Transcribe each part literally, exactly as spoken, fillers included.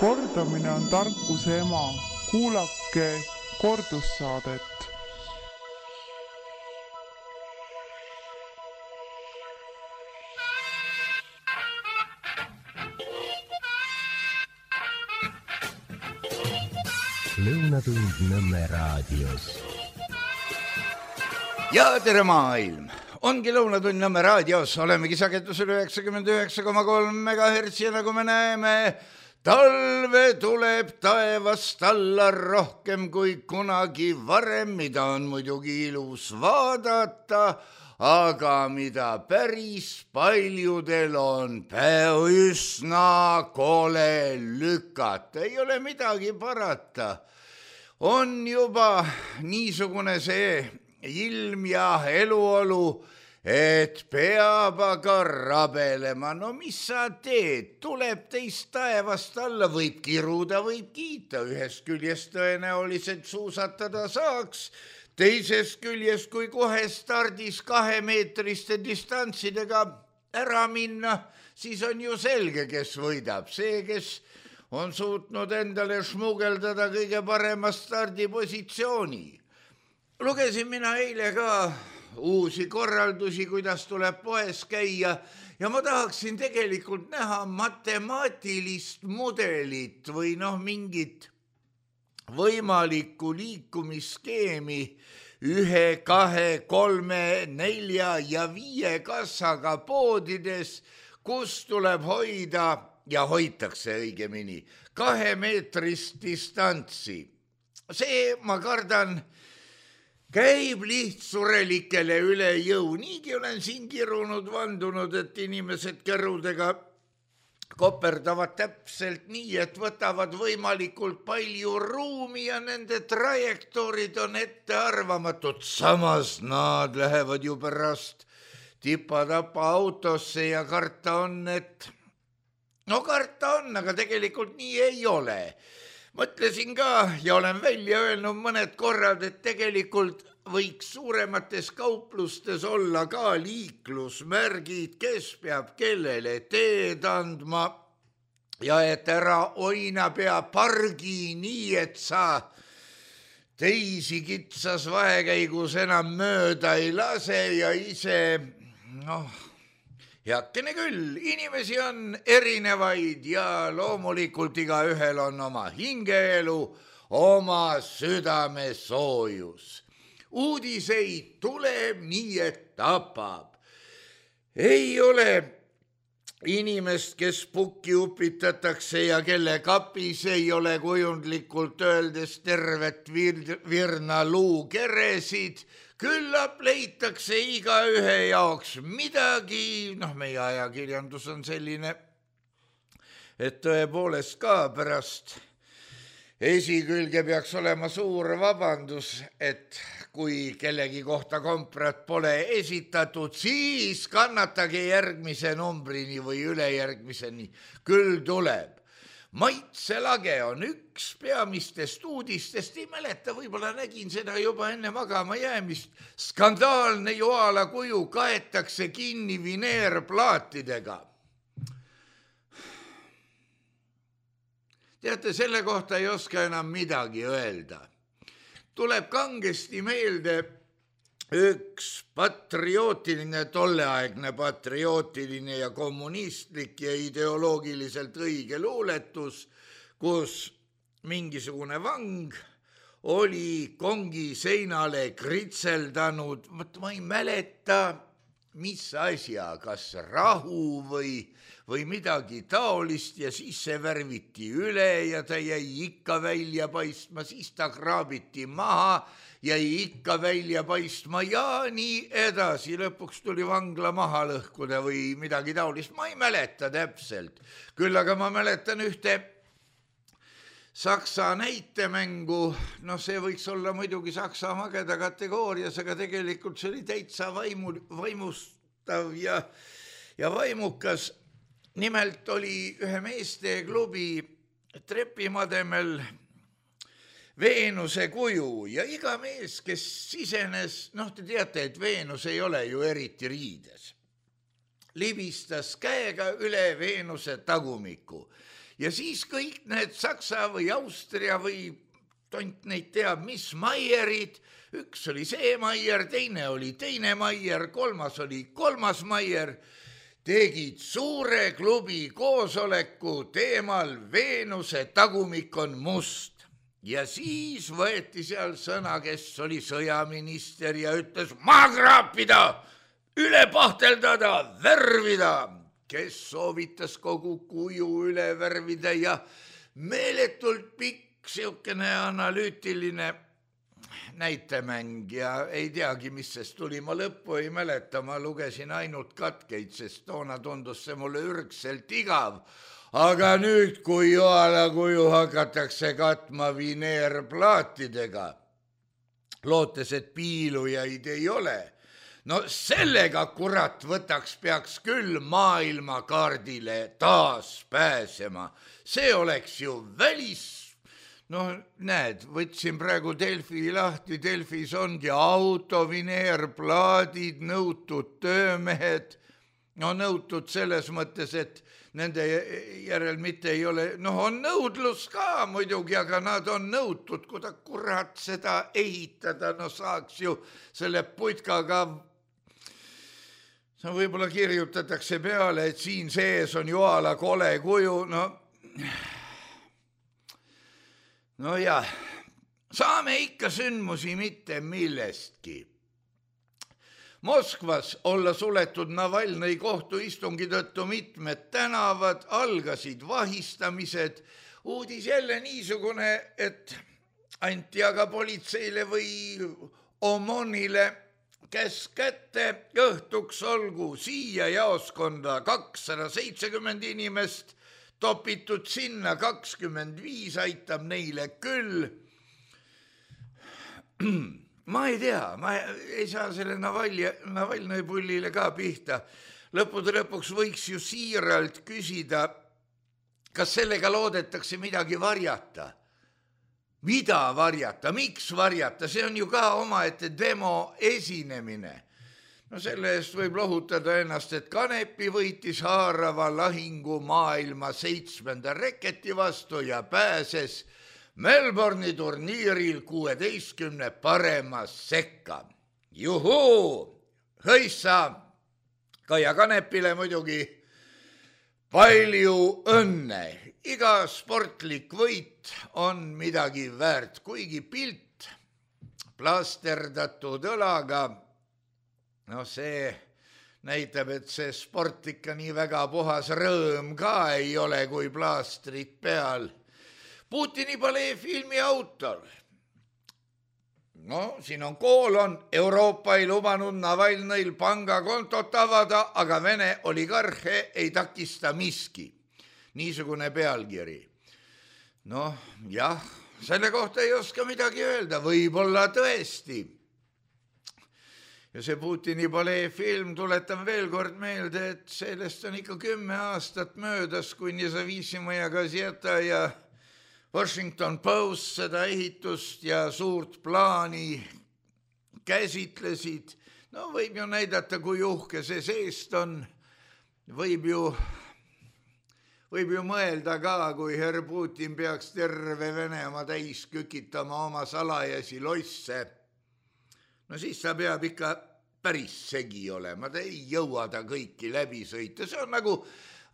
Kordamine on tarkuse ema. Kuulake kordussaadet. Lõunatund Nõmme raadios. Ja tere maailm! Ongi Lõunatund Nõmme raadios. Olemegi sagedusel üheksakümmend üheksa koma kolm megahertsi ja nagu me näeme, talve tuleb taevast alla rohkem kui kunagi varem, mida on muidugi ilus vaadata, aga mida päris paljudel on päev üsna kole lükata. Ei ole midagi parata. On juba niisugune see ilm ja eluolu, et peab aga rabelema. No mis sa teed? Tuleb teist taevast alla, võib kiruda, võib kiita. Ühest küljest tõenäoliselt suusatada saaks, teisest küljest, kui kohe stardis kahemeetriste distantsidega ära minna, siis on ju selge, kes võidab. See, kes on suutnud endale šmugeldada kõige parema stardipositsiooni. Lugesin mina eile ka uusi korraldusi, kuidas tuleb poes käia ja ma tahaksin tegelikult näha matemaatilist mudelit või noh, mingit võimalikku liikumisskeemi ühe, kahe, kolme, nelja ja viie kassaga poodides, kus tuleb hoida ja hoitakse õigemini kahemeetrist distantsi. See, ma kardan, käib lihtsurelikele üle jõu. Niigi olen siin kirunud, vandunud, et inimesed kerudega koperdavad täpselt nii, et võtavad võimalikult palju ruumi ja nende trajektoorid on ettearvamatud. Samas nad lähevad ju pärast tipa-tapa autosse ja karta on, et no karta on, aga tegelikult nii ei ole. Mõtlesin ka ja olen välja öelnud mõned korrad, et tegelikult võiks suuremates kauplustes olla ka liiklusmärgid, kes peab kellele teed andma ja et ära oina pea pargi nii, et sa teisi kitsas vahekäigus enam mööda ei lase ja ise, noh, heakene küll, inimesi on erinevaid ja loomulikult iga ühel on oma hingeelu, oma südame soojus. Uudiseid tuleb nii, et tapab. Ei ole inimest, kes pukki upitatakse ja kelle kapis ei ole kujundlikult öeldes tervet vir- virna luukeresid. Küllap leitakse iga ühe jaoks midagi, noh, meie ajakirjandus on selline, et tõepoolest ka pärast esikülge peaks olema suur vabandus, et kui kellegi kohta komprat pole esitatud, siis kannatage järgmise numbrini või ülejärgmiseni, küll tuleb. Maitselage on üks peamistest uudistest, ei mäleta, võib-olla nägin seda juba enne magama jäämist. Skandaalne joala kuju kaetakse kinni vineerplaatidega. Teate, selle kohta ei oska enam midagi öelda. Tuleb kangesti meelde üks patriotiline, tolleaegne patriotiline ja kommunistlik ja ideoloogiliselt õige luuletus, kus mingisugune vang oli kongi seinale kritseldanud, ma ei mäleta, mis asja, kas rahu või, või midagi taolist ja siis see värviti üle ja ta jäi ikka välja paistma, siis ta kraabiti maha, jäi ikka välja paistma ja nii edasi. Lõpuks tuli vangla maha lõhkuda või midagi taolist, ma ei mäleta täpselt. Küll aga ma mäletan ühte Saksa näitemängu, no see võiks olla muidugi Saksa mageda kategoorias, aga tegelikult see oli täitsa vaimu, vaimustav ja, ja vaimukas. Nimelt oli ühe meeste klubi trepimademel Veenuse kuju ja iga mees, kes sisenes, noh te teate, et Veenus ei ole ju eriti riides, libistas käega üle Veenuse tagumiku ja siis kõik need Saksa või Austria või tont neid teab, mis Maierid, üks oli see Maier, teine oli teine Maier, kolmas oli kolmas Maier, tegid suure klubi koosoleku teemal Veenuse tagumik on must. Ja siis võeti seal sõna, kes oli sõjaminister ja ütles maha kraapida, üle pahteldada, värvida, kes soovitas kogu kuju üle värvida ja meeletult pikk siukene analüütiline näitemäng ja ei teagi, mis sest tuli, ma lõppu ei mäleta, ma lugesin ainult katkeid, sest toona tundus see mulle ürgselt igav. Aga nüüd, kui Joala kuju hakatakse katma vineerplaatidega, lootes, et piilujaid ei ole, no sellega kurat võtaks peaks küll maailmakaardile taas pääsema. See oleks ju välis. No näed, võtsin praegu Delfi lahti, Delfis ongi auto, vineerplaadid, nõutud töömehed, no nõutud selles mõttes, et nende järel mitte ei ole, noh on nõudlus ka muidugi, aga nad on nõutud, kui ta kurat seda ehitada, no saaks ju selle putkaga, no võib-olla kirjutatakse peale, et siin sees on Joala kole kuju, no no jah, saame ikka sündmusi mitte millestki. Moskvas olla suletud Navalnõi kohtuistungi tõttu mitmed tänavad, algasid vahistamised, uudis jälle niisugune, et anti aga politseile või Omonile käsk kätte, õhtuks olgu siia jaoskonda kakssada seitsekümmend inimest, topitud sinna kakskümmend viis, aitab neile küll. Ma ei tea, ma ei saa selle Navalnõi pullile ka pihta. Lõppude lõpuks võiks ju siiralt küsida, kas sellega loodetakse midagi varjata. Mida varjata, miks varjata, see on ju ka omaette demo esinemine. No selle eest võib lohutada ennast, et Kanepi võitis haarava lahingu maailma seitsmenda reketi vastu ja pääses Melbourne'i turniiril kuueteistkümne parema sekka. Juhuu, hõissa, Kaia Kanepile muidugi palju õnne. Iga sportlik võit on midagi väärt, kuigi pilt plasterdatud õlaga, no see näitab, et see sport ikka nii väga puhas rõõm ka ei ole, kui plaastrid peal. Putini palee filmi autor. No siin on koolon, Euroopa ei lubanud Navalnõil pangakontot avada, aga Vene oligarhe ei takista miski. Niisugune pealkiri. Noh, jah, selle kohta ei oska midagi öelda, võib-olla tõesti. Ja see Putini palee film, tuletan veel kord meelde, et sellest on ikka kümme aastat möödas, kui Nezavisimoja Gazeta ja Washington Post seda ehitust ja suurt plaani käsitlesid. No võib ju näidata, kui uhke see seest on. Võib ju, võib ju mõelda ka, kui herr Putin peaks terve Venemaa täis kükitama oma salajasi losse. No siis ta peab ikka päris segi olema, ta ei jõua ta kõiki läbi sõita. See on nagu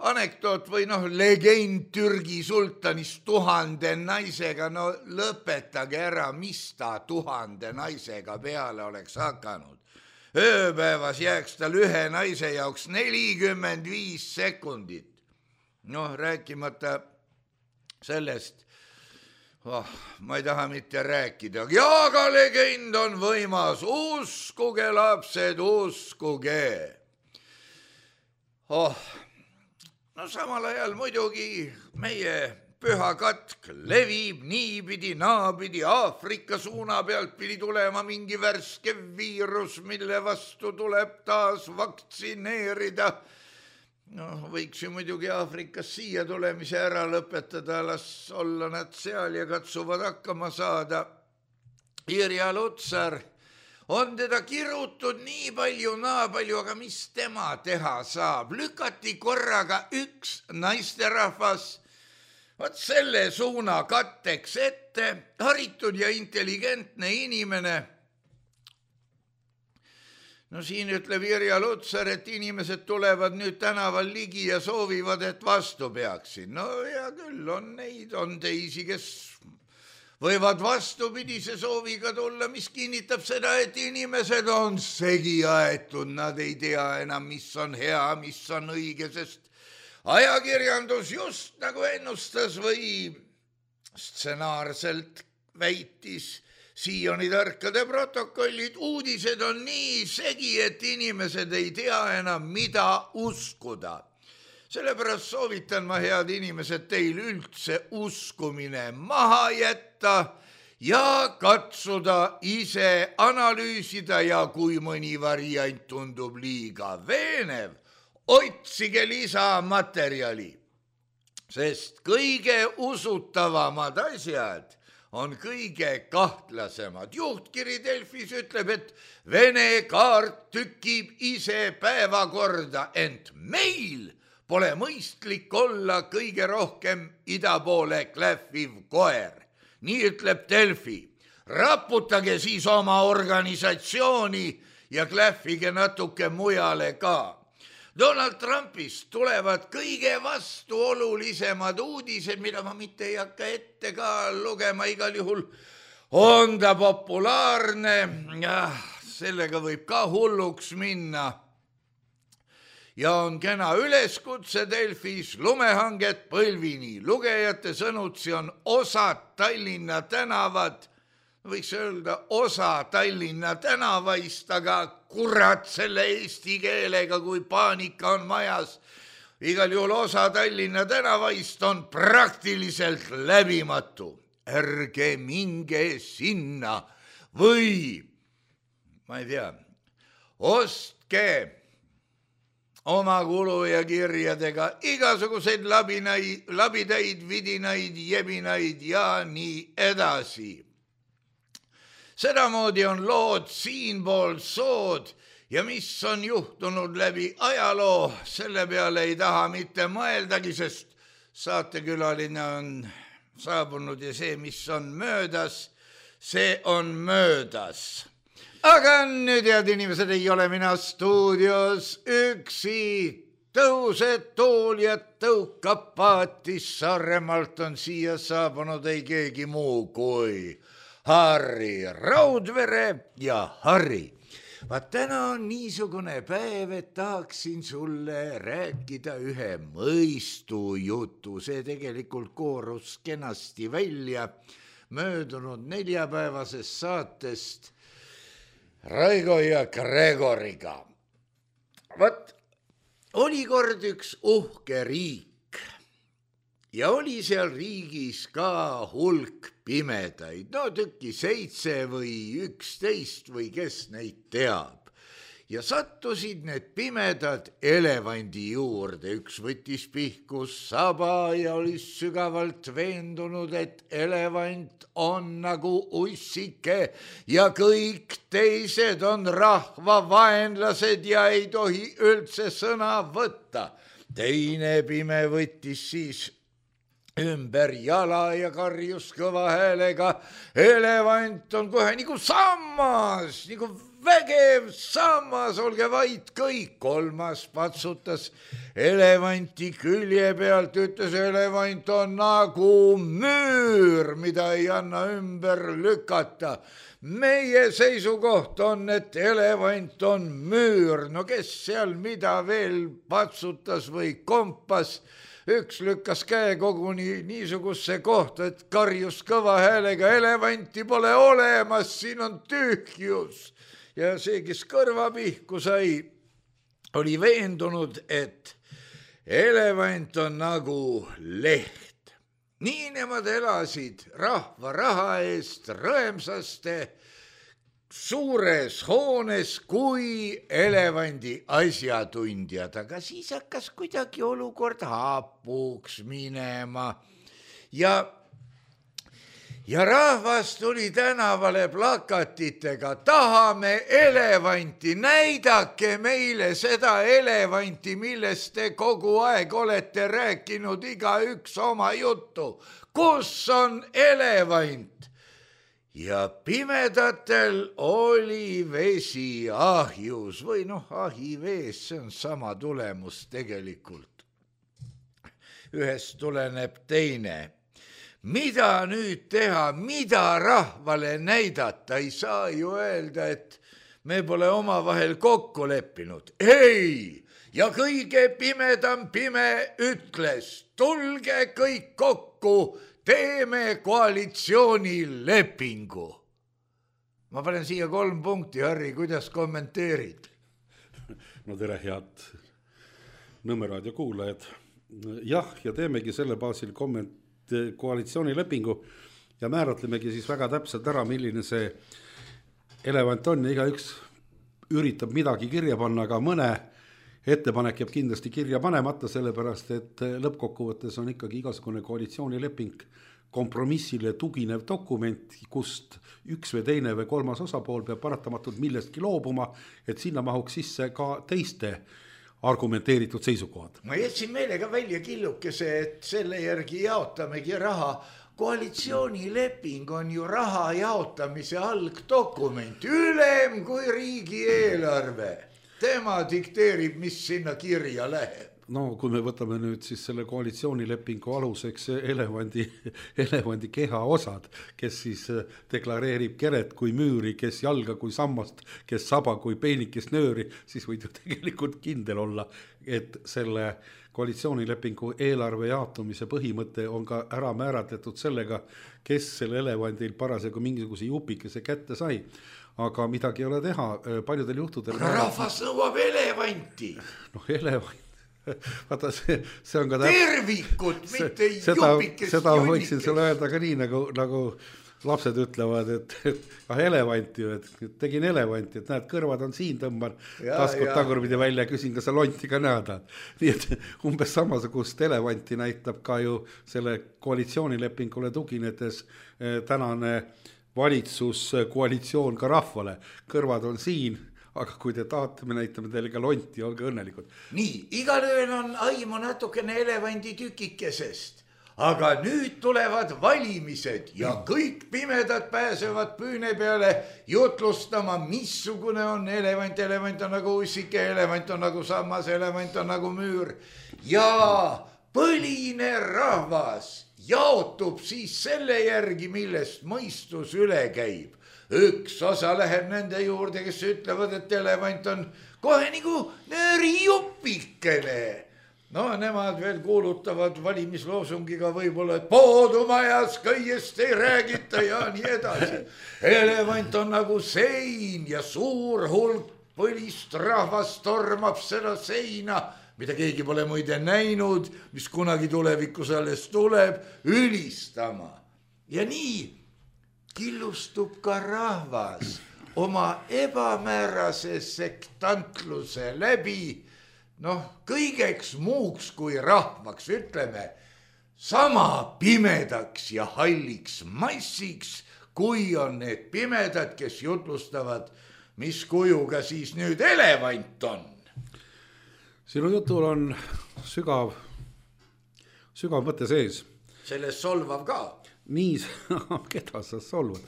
anekdoot või noh, legend Türgi sultanist tuhande naisega, no lõpetage ära, mis ta tuhande naisega peale oleks hakanud. Ööpäevas jääks tal ühe naise jaoks nelikümmend viis sekundit. Noh, rääkimata sellest, oh, ma ei taha mitte rääkida, aga legend on võimas, uskuge lapsed, uskuge. Oh, no samal ajal muidugi meie püha katk levib niipidi, naapidi, Aafrika suuna pealt pidi tulema mingi värske viirus, mille vastu tuleb taas vaktsineerida. No võiks ju muidugi Aafrikas siia tulemise ära lõpetada, las olla nad seal ja katsuvad hakkama saada. Irja Lutsar on teda kirutud nii palju, naa palju, aga mis tema teha saab? Lükati korraga üks naisterahvas Vaat selle suuna katteks ette haritud ja intelligentne inimene. No siin ütleb Irja Lutsar, et inimesed tulevad nüüd tänaval ligi ja soovivad, et vastu peaksin. No hea küll, on neid, on teisi, kes võivad vastupidise sooviga tulla, mis kinnitab seda, et inimesed on segi aetud, nad ei tea enam, mis on hea, mis on õige, sest ajakirjandus just nagu ennustas või stsenaarselt väitis Sioni tarkade protokollid, uudised on nii segi, et inimesed ei tea enam, mida uskuda. Sellepärast soovitan ma, head inimesed, teil üldse uskumine maha jätta ja katsuda ise analüüsida ja kui mõni variant tundub liiga veenev, otsige lisamaterjali, sest kõige usutavamad asjad on kõige kahtlasemad. Juhtkiri Delfis ütleb, et Vene kaart tükib ise päevakorda, ent meil pole mõistlik olla kõige rohkem ida poole klähviv koer. Nii ütleb Delfi. Raputage siis oma organisatsiooni ja klähvige natuke mujale ka. Donald Trumpist tulevad kõige vastuolulisemad uudised, mida ma mitte ei hakka ette ka lugema, igal juhul on ta populaarne ja sellega võib ka hulluks minna. Ja on kena üleskutse Delfis lumehanget Põlvini. Lugejate sõnutsi on osa Tallinna tänavad, võiks öelda osa Tallinna tänavaist, aga kurat selle eesti keelega, kui paanika on majas. Igal juhul osa Tallinna tänavaist on praktiliselt läbimatu. Ärge minge sinna või, ma ei tea, ostke oma kulu ja kirjadega igasuguseid labinaid, labidaid, vidinaid, jebinaid ja nii edasi. Sedamoodi on lood siinpool sood ja mis on juhtunud läbi ajaloo, selle peale ei taha mitte mõeldagi, sest saatekülaline on saabunud ja see, mis on möödas, see on möödas. Aga nüüd, head inimesed, ei ole mina stuudios üksi. Tõused tool ja tõukab paatis, Saaremaalt on siia saabunud ei keegi muu kui Harri Raudvere ja Harri. Vaat täna on niisugune päev, et tahaksin sulle rääkida ühe mõistujutu. See tegelikult koorus kenasti välja möödunud neljapäevasest saatest Raigo ja Gregoriga. Vaat oli kord üks uhke riik ja oli seal riigis ka hulk pimedaid, no tükki seitse või üksteist või kes neid teab. Ja sattusid need pimedad elevandi juurde, üks võttis pihkus saba ja oli sügavalt veendunud, et elevant on nagu ussike ja kõik teised on rahva vaenlased ja ei tohi üldse sõna võtta. Teine pime võttis siis ümber jala ja karjus kõva häälega, elevant on kohe nagu sammas, nagu vägev sammas, olge vait kõik. Kolmas patsutas elevanti külje pealt, ütles, elevant on nagu müür, mida ei anna ümber lükata. Meie seisukoht on, et elevant on müür. No kes seal mida veel patsutas või kompas, üks lükkas käe koguni niisugusse kohta, et karjus kõva häälega, elevanti pole olemas, siin on tühjus. Ja see, kes kõrva pihku sai, oli veendunud, et elevant on nagu leht. Nii nemad elasid rahva raha eest rõemsaste suures hoones kui elevandi asjatundjad, aga siis hakkas kuidagi olukord hapuks minema ja ja rahvas tuli tänavale plakatitega, tahame elevanti, näidake meile seda elevanti, millest te kogu aeg olete rääkinud igaüks oma juttu. Kus on elevant? Ja pimedatel oli vesi ahjus või noh, ahivees, see on sama tulemus tegelikult. Ühest tuleneb teine. Mida nüüd teha, mida rahvale näidata, ei saa ju öelda, et me pole omavahel kokku leppinud. Ei, ja kõige pimedam pime ütles, tulge kõik kokku, teeme koalitsioonilepingu. Ma panen siia kolm punkti, Harri, kuidas kommenteerid? No tere, head Nõmme raadio kuulajad. Jah, ja teemegi selle baasil komment koalitsioonilepingu ja määratlemegi siis väga täpselt ära, milline see elevant on ja igaüks üritab midagi kirja panna, aga mõne ettepanek jääb kindlasti kirja panemata, sellepärast et lõppkokkuvõttes on ikkagi igasugune koalitsioonileping kompromissile tuginev dokument, kust üks või teine või kolmas osapool peab paratamatult millestki loobuma, et sinna mahuks sisse ka teiste argumenteeritud seisukohad. Ma jätsin meelega välja killukese, et selle järgi jaotamegi raha. Koalitsioonileping on ju raha jaotamise algdokument, ülem kui riigieelarve. Tema dikteerib, mis sinna kirja läheb. No kui me võtame nüüd siis selle koalitsioonilepingu aluseks elevandi, elevandi keha osad, kes siis deklareerib keret kui müüri, kes jalga kui sammast, kes saba kui peenikest nööri, siis võid ju tegelikult kindel olla, et selle koalitsioonilepingu eelarve jaotumise põhimõte on ka ära määratletud sellega, kes selle elevandil parasjagu mingisuguse jupikese kätte sai. Aga midagi ei ole teha, paljudel juhtudel... Aga rahvas nõuab elevanti. Noh, elevant. Vaata, see, see on ka... Tervikut, mitte seda, jupikest seda jonnikest. võiksin sulle öelda ka nii, nagu, nagu lapsed ütlevad, et, et ah, elevant ju, et tegin elevanti, et näed, kõrvad on siin, tõmban taskut tagurpidi välja ja küsin, kas sa lonti ka näed. Nii et umbes samasugust elevanti näitab ka ju selle koalitsioonilepingule tuginedes eh, tänane valitsus, koalitsioon ka rahvale. Kõrvad on siin, aga kui te tahate, me näitame teile ka lonti, olge õnnelikud. Nii, igalöön on aimu natukene elevandi tükikesest, aga nüüd tulevad valimised ja kõik pimedad pääsevad püüne peale jutlustama, missugune on elevant. Elevant on nagu ussike, elevant on nagu sammas, elevant on nagu müür ja põline rahvas jaotub siis selle järgi, millest mõistus üle käib. Üks osa läheb nende juurde, kes ütlevad, et elevant on kohe nagu nöörijupikene. No nemad veel kuulutavad valimisloosungiga võib-olla, et poodumajas kõigest ei räägita ja nii edasi. Elevant on nagu sein ja suur hulk põlist rahvast tormab seda seina, mida keegi pole muide näinud, mis kunagi tulevikus alles tuleb, ülistama. Ja nii killustub ka rahvas oma ebamäärase sektantluse läbi, noh, kõigeks muuks kui rahvaks, ütleme, sama pimedaks ja halliks massiks, kui on need pimedad, kes jutlustavad, mis kujuga siis nüüd elevant on. Sinu jutul on sügav, sügav mõte sees. Sellest solvav ka. Nii, keda sa solvad?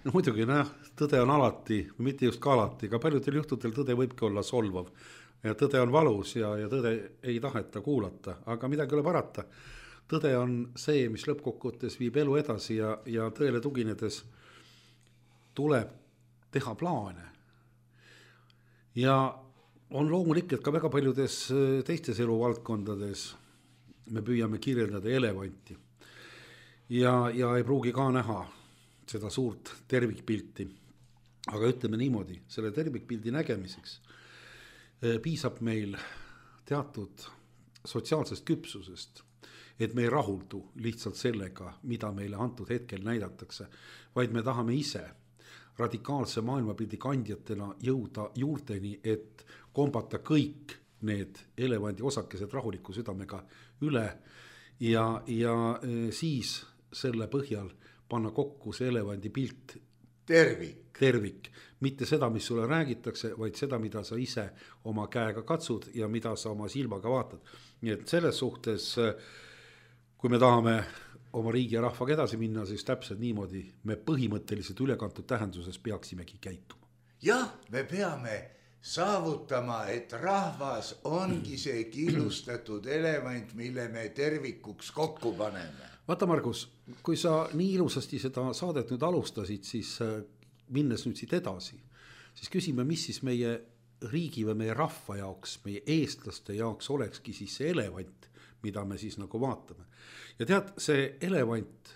No muidugi, noh, tõde on alati, mitte just ka alati, aga paljudel juhtudel tõde võibki olla solvav. Ja tõde on valus ja, ja tõde ei taheta kuulata, aga midagi ole parata. Tõde on see, mis lõppkokkuvõttes viib elu edasi ja, ja tõele tuginedes tuleb teha plaane. Ja on loomulikult ka väga paljudes teistes eluvaldkondades me püüame kirjeldada elevanti ja, ja ei pruugi ka näha seda suurt tervikpilti. Aga ütleme niimoodi, selle tervikpildi nägemiseks piisab meil teatud sotsiaalsest küpsusest, et me ei rahuldu lihtsalt sellega, mida meile antud hetkel näidatakse, vaid me tahame ise radikaalse maailmapildi kandjatena jõuda juurteni, et kombata kõik need elevandi osakesed rahuliku südamega üle ja, ja siis selle põhjal panna kokku see elevandi pilt tervik. tervik, mitte seda, mis sulle räägitakse, vaid seda, mida sa ise oma käega katsud ja mida sa oma silmaga vaatad. Nii et selles suhtes, kui me tahame oma riigi ja rahvaga edasi minna, siis täpselt niimoodi me põhimõtteliselt ülekantud tähenduses peaksimegi käituma. Jah, me peame saavutama, et rahvas ongi see killustatud elevant, mille me tervikuks kokku paneme. Vaata, Margus, kui sa nii ilusasti seda saadet nüüd alustasid, siis minnes nüüd siit edasi, siis küsime, mis siis meie riigi või meie rahva jaoks, meie eestlaste jaoks olekski siis see elevant, mida me siis nagu vaatame. Ja tead, see elevant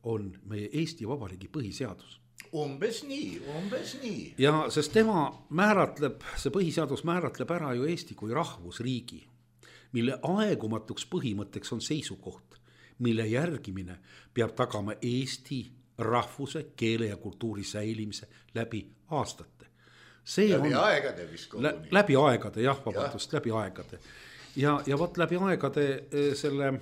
on meie Eesti Vabariigi põhiseadus. Umbes nii, umbes nii. Ja sest tema määratleb, see põhiseadus määratleb ära ju Eesti kui rahvusriigi, mille aegumatuks põhimõtteks on seisukoht, mille järgimine peab tagama Eesti rahvuse, keele ja kultuuri säilimise läbi aastate. See läbi on, aegade vist koguni. Lä, läbi aegade, jah, vabandust, ja. läbi aegade. Ja, ja võt läbi aegade selle,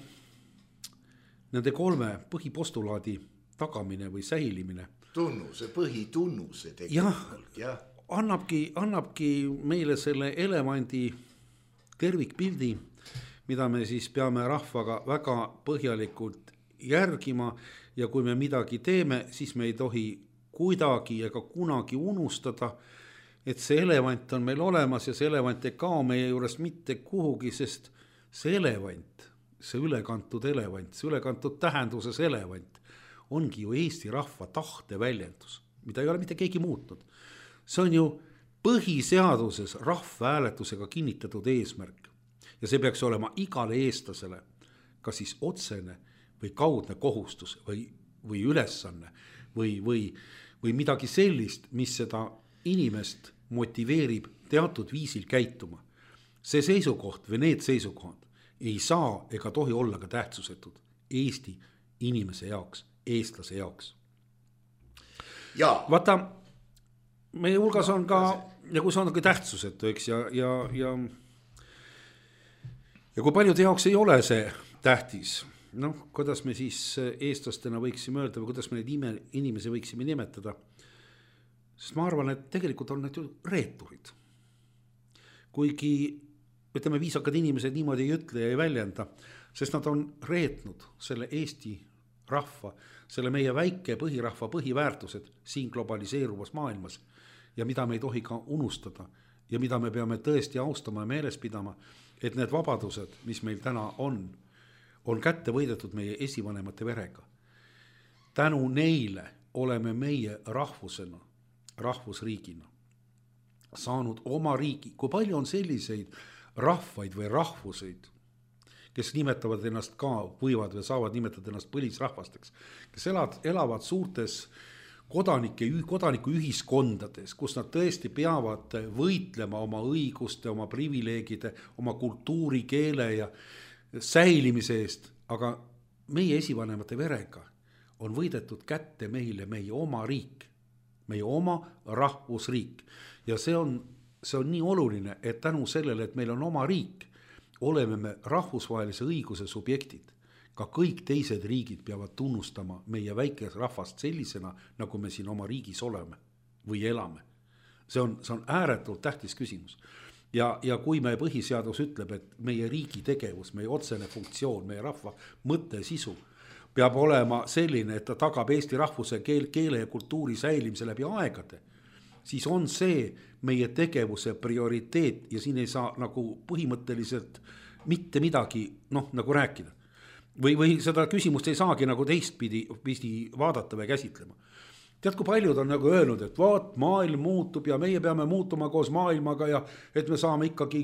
nende kolme põhipostulaadi tagamine või säilimine. Tunnuse, põhitunnuse tegelikult. Jah, annabki, annabki meile selle elevandi tervikpildi, mida me siis peame rahvaga väga põhjalikult järgima ja kui me midagi teeme, siis me ei tohi kuidagi ega kunagi unustada, et see elevant on meil olemas ja see elevant ei kao meie juures mitte kuhugi, sest see elevant, see ülekantud elevant, see ülekantud tähenduses elevant ongi ju Eesti rahva tahte väljendus, mida ei ole mitte keegi muutnud. See on ju põhiseaduses rahvahääletusega kinnitatud eesmärk. Ja see peaks olema igale eestlasele, kas siis otsene või kaudne kohustus või, või ülesanne või, või, või midagi sellist, mis seda inimest motiveerib teatud viisil käituma. See seisukoht või need seisukohad ei saa ega tohi olla ka tähtsusetud Eesti inimese jaoks, eestlase jaoks. Ja. Vaata, meie hulgas on ka, ja kui see on ka tähtsusetu, eks, ja, ja, ja Ja kui paljude jaoks ei ole see tähtis, noh, kuidas me siis eestlastena võiksime öelda või kuidas me neid ime, inimesi võiksime nimetada, sest ma arvan, et tegelikult on need ju reeturid. Kuigi, ütleme, viisakad inimesed niimoodi ei ütle ja ei väljenda, sest nad on reetnud selle Eesti rahva, selle meie väike põhirahva põhiväärtused siin globaliseeruvas maailmas ja mida me ei tohi ka unustada ja mida me peame tõesti austama ja meeles pidama, et need vabadused, mis meil täna on, on kätte võidetud meie esivanemate verega. Tänu neile oleme meie rahvusena, rahvusriigina saanud oma riigi. Kui palju on selliseid rahvaid või rahvuseid, kes nimetavad ennast ka, võivad või saavad nimetada ennast põlisrahvasteks, kes elavad, elavad suurtes kodanike, kodaniku ühiskondades, kus nad tõesti peavad võitlema oma õiguste, oma privileegide, oma kultuuri, keele ja säilimise eest, aga meie esivanemate verega on võidetud kätte meile meie oma riik, meie oma rahvusriik ja see on, see on nii oluline, et tänu sellele, et meil on oma riik, oleme me rahvusvahelise õiguse subjektid. Ka kõik teised riigid peavad tunnustama meie väikes rahvast sellisena, nagu me siin oma riigis oleme või elame. See on, see on ääretult tähtis küsimus. Ja, ja kui meie põhiseadus ütleb, et meie riigi tegevus, meie otsene funktsioon, meie rahva mõtte sisu peab olema selline, et ta tagab Eesti rahvuse keel, keele ja kultuuri säilimise läbi aegade, siis on see meie tegevuse prioriteet ja siin ei saa nagu põhimõtteliselt mitte midagi noh, nagu rääkida. Või, või seda küsimust ei saagi nagu teistpidi pidi vaadata või käsitlema. Tead, kui paljud on nagu öelnud, et vaat maailm muutub ja meie peame muutuma koos maailmaga ja et me saame ikkagi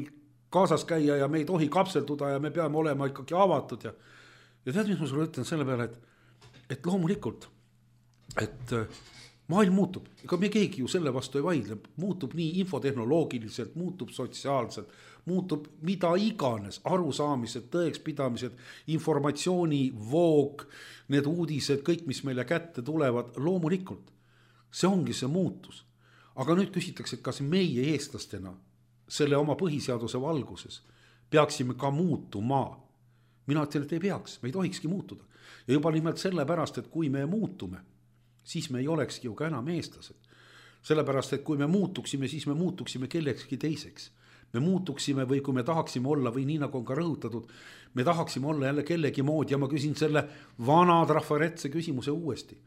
kaasas käia ja me ei tohi kapselduda ja me peame olema ikkagi avatud. Ja, ja tead, mis ma sulle ütlen selle peale, et, et loomulikult, et maailm muutub, ega me keegi ju selle vastu ei vaidle, muutub nii infotehnoloogiliselt, muutub sotsiaalselt, muutub mida iganes, arusaamised, tõekspidamised, informatsiooni voog, need uudised, kõik, mis meile kätte tulevad, loomulikult, see ongi see muutus. Aga nüüd küsitakse, et kas meie eestlastena selle oma põhiseaduse valguses peaksime ka muutuma. Mina ütlen, et ei peaks, me ei tohikski muutuda. Ja juba nimelt selle pärast, et kui me muutume, siis me ei olekski ju ka enam eestlased. Sellepärast, et kui me muutuksime, siis me muutuksime kellekski teiseks. Me muutuksime või kui me tahaksime olla või nii nagu on ka rõhutatud, me tahaksime olla jälle kellegi moodi ja ma küsin selle vana trafaretse küsimuse uuesti.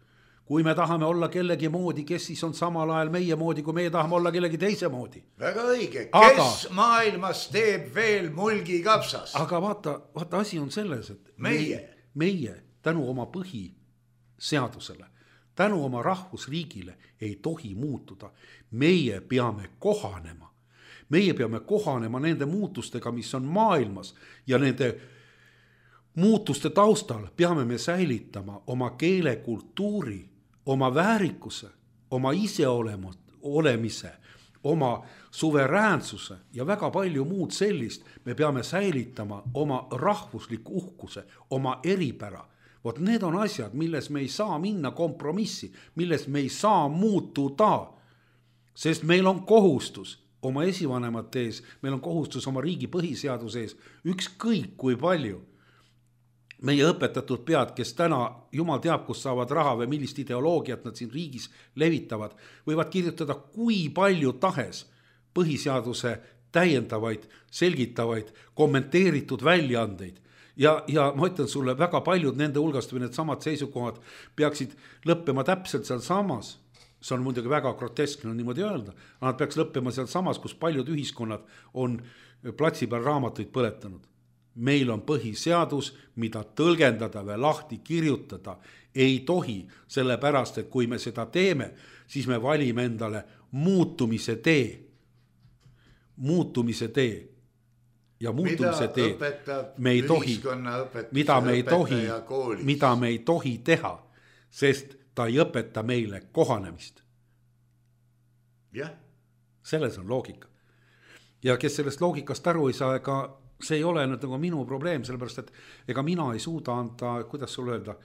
Kui me tahame olla kellegi moodi, kes siis on samal ajal meie moodi, kui meie tahame olla kellegi teise moodi. Väga õige, kes aga, maailmas teeb veel mulgi kapsas? Aga vaata, vaata asi on selles, et meie, meie tänu oma põhiseadusele, tänu oma rahvusriigile ei tohi muutuda. Meie peame kohanema. Meie peame kohanema nende muutustega, mis on maailmas ja nende muutuste taustal peame me säilitama oma keele, kultuuri, oma väärikuse, oma iseolemise, oma suveräänsuse ja väga palju muud sellist. Me peame säilitama oma rahvusliku uhkuse, oma eripära. Vot need on asjad, milles me ei saa minna kompromissi, milles me ei saa muutuda, sest meil on kohustus oma esivanemate ees, meil on kohustus oma riigi põhiseaduse ees, ükskõik kui palju meie õpetatud pead, kes täna jumal teab, kus saavad raha või millist ideoloogiat nad siin riigis levitavad, võivad kirjutada kui palju tahes põhiseaduse täiendavaid, selgitavaid, kommenteeritud väljaandeid. Ja, ja ma ütlen sulle, väga paljud nende hulgast või need samad seisukohad peaksid lõppema täpselt seal samas. See on muidugi väga groteskne on niimoodi öelda, aga nad peaks lõppema seal samas, kus paljud ühiskonnad on platsi peal raamatuid põletanud. Meil on põhiseadus, mida tõlgendada või lahti kirjutada ei tohi, sellepärast, et kui me seda teeme, siis me valime endale muutumise tee. Muutumise tee. Ja muutumise tee, me ei tohi, mida me ei tohi, mida me ei tohi teha, sest ta ei õpeta meile kohanemist. Jah. Selles on loogika. Ja kes sellest loogikast aru ei saa, ega see ei ole nüüd nagu minu probleem, sellepärast, et ega mina ei suuda anda, kuidas sul öelda,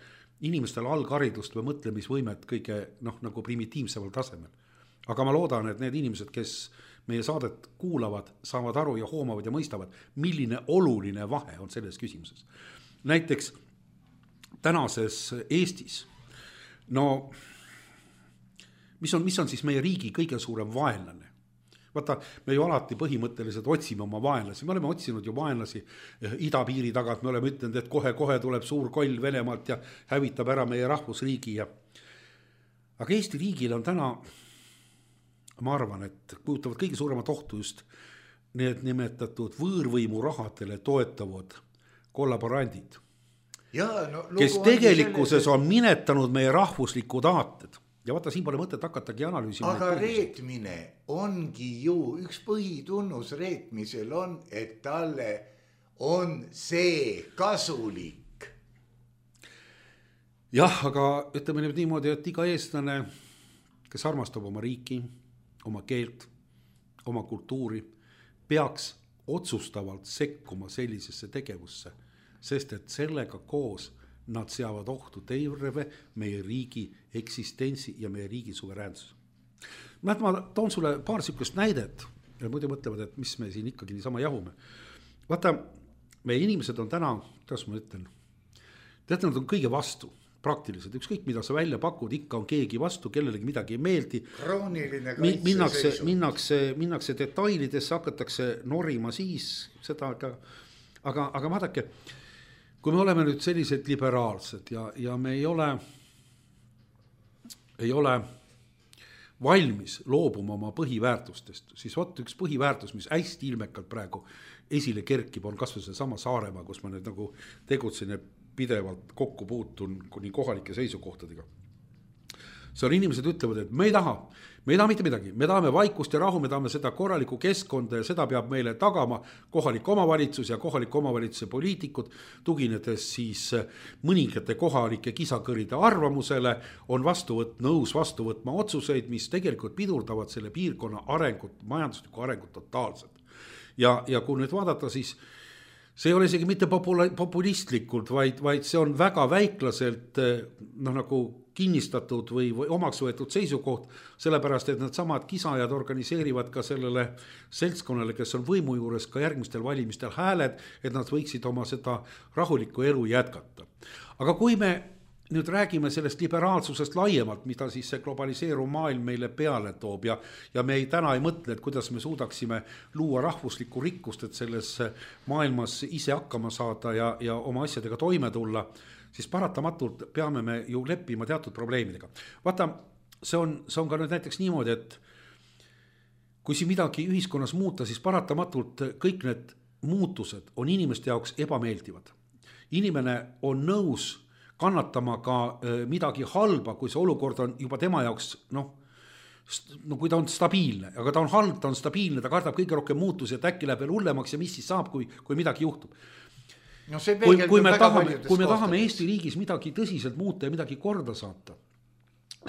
inimestele algharidust või mõtlemisvõimet kõige noh, nagu primitiivseval tasemel. Aga ma loodan, et need inimesed, kes meie saadet kuulavad, saavad aru ja hoomavad ja mõistavad, milline oluline vahe on selles küsimuses. Näiteks tänases Eestis, no mis on, mis on siis meie riigi kõige suurem vaenlane? Vaata, me ju alati põhimõtteliselt otsime oma vaenlasi, me oleme otsinud ju vaenlasi idapiiri tagant, me oleme ütlenud, et kohe-kohe tuleb suur koll Venemaalt ja hävitab ära meie rahvusriigi. Ja... Aga Eesti riigil on täna, ma arvan, et kujutavad kõige suuremat ohtu just need nimetatud võõrvõimu rahadele toetavad kollaborandid, ja, no, kes tegelikkuses selles... on minetanud meie rahvuslikud aated. Ja vaata, siin pole mõtet hakatagi analüüsima. Aga reetmine ongi ju, üks põhitunnus reetmisel on, et talle on see kasulik. Jah, aga ütleme nüüd niimoodi, et iga eestlane, kes armastab oma riiki, oma keelt, oma kultuuri, peaks otsustavalt sekkuma sellisesse tegevusse, sest et sellega koos nad seavad ohtu terve meie riigi eksistentsi ja meie riigi suveräänsuse. Ma toon sulle paar sükest näidet ja muidu mõtlevad, et mis me siin ikkagi niisama jahume. Vaata, meie inimesed on täna, kuidas ma ütlen, tead, nad on kõige vastu, praktiliselt, ükskõik mida sa välja pakud, ikka on keegi vastu, kellelegi midagi ei meeldi. Krooniline kaitse minnakse, seisud. Minnakse, minnakse detailidesse, hakatakse norima siis seda, aga, aga, aga vaadake, kui me oleme nüüd sellised liberaalsed ja, ja me ei ole, ei ole valmis loobuma oma põhiväärtustest, siis võtta üks põhiväärtus, mis hästi ilmekalt praegu esile kerkib, on kas või see sama Saaremaa, kus ma nüüd nagu tegutsen ja pidevalt kokku puutun kuni kohalike seisukohtadega. See on inimesed ütlevad, et me ei taha, me ei taha mitte midagi, me tahame vaikust ja rahu, me tahame seda korralikku keskkonda ja seda peab meile tagama kohalik omavalitsus ja kohalik omavalitsuse poliitikud, tuginedes siis mõningate kohalike kisakõride arvamusele, on vastu võt, nõus vastu võtma otsuseid, mis tegelikult pidurdavad selle piirkonna arengut, majanduslikku arengut totaalselt. Ja, ja kui nüüd vaadata, siis see ei ole isegi mitte populistlikult, vaid, vaid see on väga väiklaselt no, nagu kinnistatud või, või omaks võetud seisukoht, sellepärast, et need samad kisajad organiseerivad ka sellele seltskonnale, kes on võimu juures ka järgmistel valimistel hääled, et nad võiksid oma seda rahulikku elu jätkata. Aga kui me nüüd räägime sellest liberaalsusest laiemalt, mida siis see globaliseeruv maailm meile peale toob ja, ja me ei, täna ei mõtle, et kuidas me suudaksime luua rahvuslikku rikkust, et selles maailmas ise hakkama saada ja, ja oma asjadega toime tulla, siis paratamatult peame me ju leppima teatud probleemidega. Vaata, see on, see on ka nüüd näiteks niimoodi, et kui siin midagi ühiskonnas muuta, siis paratamatult kõik need muutused on inimeste jaoks ebameeldivad. Inimene on nõus kannatama ka midagi halba, kui see olukord on juba tema jaoks, noh, no kui ta on stabiilne, aga ta on halb, ta on stabiilne, ta kardab kõige rohkem muutusi, et äkki läheb veel hullemaks ja mis siis saab, kui, kui midagi juhtub. No see kui, kui me, tahame, kui me tahame Eesti riigis midagi tõsiselt muuta ja midagi korda saata,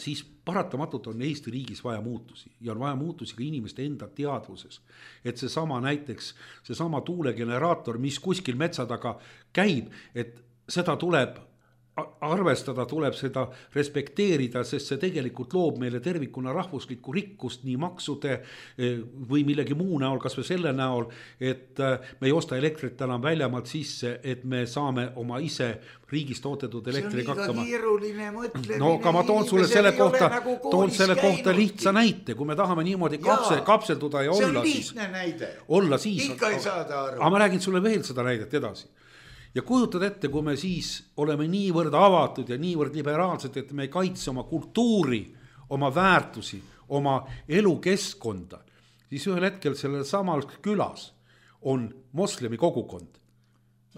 siis paratamatult on Eesti riigis vaja muutusi ja on vaja muutusi ka inimeste enda teadvuses. Et see sama näiteks, see sama tuulegeneraator, mis kuskil metsa taga käib, et seda tuleb arvestada, tuleb seda respekteerida, sest see tegelikult loob meile tervikuna rahvuslikku rikkust nii maksude või millegi muu näol, kas või selle näol, et me ei osta elektrit enam väljamaalt sisse, et me saame oma ise riigis toodetud elektriga hakkama. See on liiga keeruline mõtlemine. No aga ma toon sulle selle kohta, nagu toon selle kohta lihtsa näite, kui me tahame niimoodi kapsel, kapselduda ja see olla siis. See on lihtne näide. Olla siis. Ikka ei saada aru. Aga ma räägin sulle veel seda näidet edasi. Ja kujutad ette, kui me siis oleme niivõrd avatud ja niivõrd liberaalsed, et me ei kaitse oma kultuuri, oma väärtusi, oma elukeskkonda, siis ühel hetkel sellel samal külas on moslemi kogukond.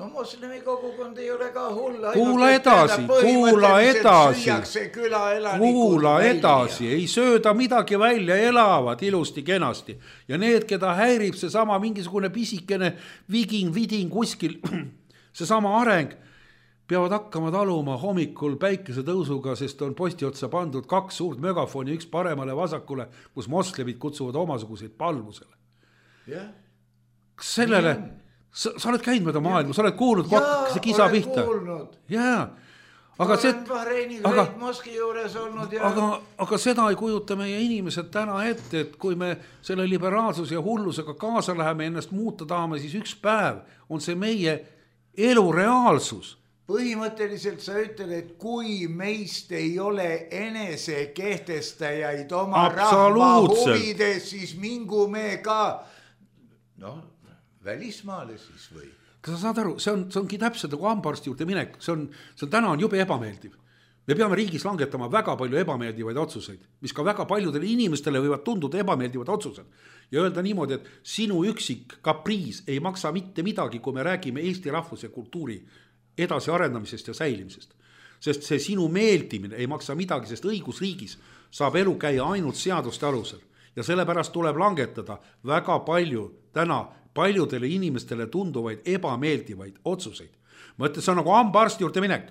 No moslemi kogukond ei ole ka hull. Kuula edasi, kuula edasi, kuula edasi, ei sööda midagi välja, elavad ilusti kenasti. Ja need, keda häirib see sama mingisugune pisikene viging, viding kuskil, see sama areng, peavad hakkama taluma hommikul päikese tõusuga, sest on posti otsa pandud kaks suurt megafoni, üks paremale vasakule, kus moslemid kutsuvad omasuguseid palvusele. Yeah. Sellele, sa, sa oled käinud mööda maailma, sa oled kuulnud, kui hakkas see kisa pihta. Jaa, aga, see, aga, ja... aga, aga seda ei kujuta meie inimesed täna ette, et kui me selle liberaalsuse ja hullusega kaasa läheme ennast muuta tahame, siis üks päev on see meie elu reaalsus. Põhimõtteliselt sa ütled, et kui meist ei ole enese kehtestajaid oma rahva huvides, siis mingu me ka no, välismaale siis või? Kas sa saad aru, see, on, see ongi täpselt nagu hambaarsti juurde minek, see on, see on täna on jube ebameeldiv. Me peame riigis langetama väga palju ebameeldivaid otsuseid, mis ka väga paljudele inimestele võivad tunduda ebameeldivad otsused. Ja öelda niimoodi, et sinu üksik kapriis ei maksa mitte midagi, kui me räägime Eesti rahvuse ja kultuuri edasi arendamisest ja säilimisest. Sest see sinu meeldimine ei maksa midagi, sest õigusriigis saab elu käia ainult seaduste alusel. Ja sellepärast tuleb langetada väga palju täna paljudele inimestele tunduvaid ebameeldivaid otsuseid. Ma ütlen, see on nagu hambaarsti juurde minek.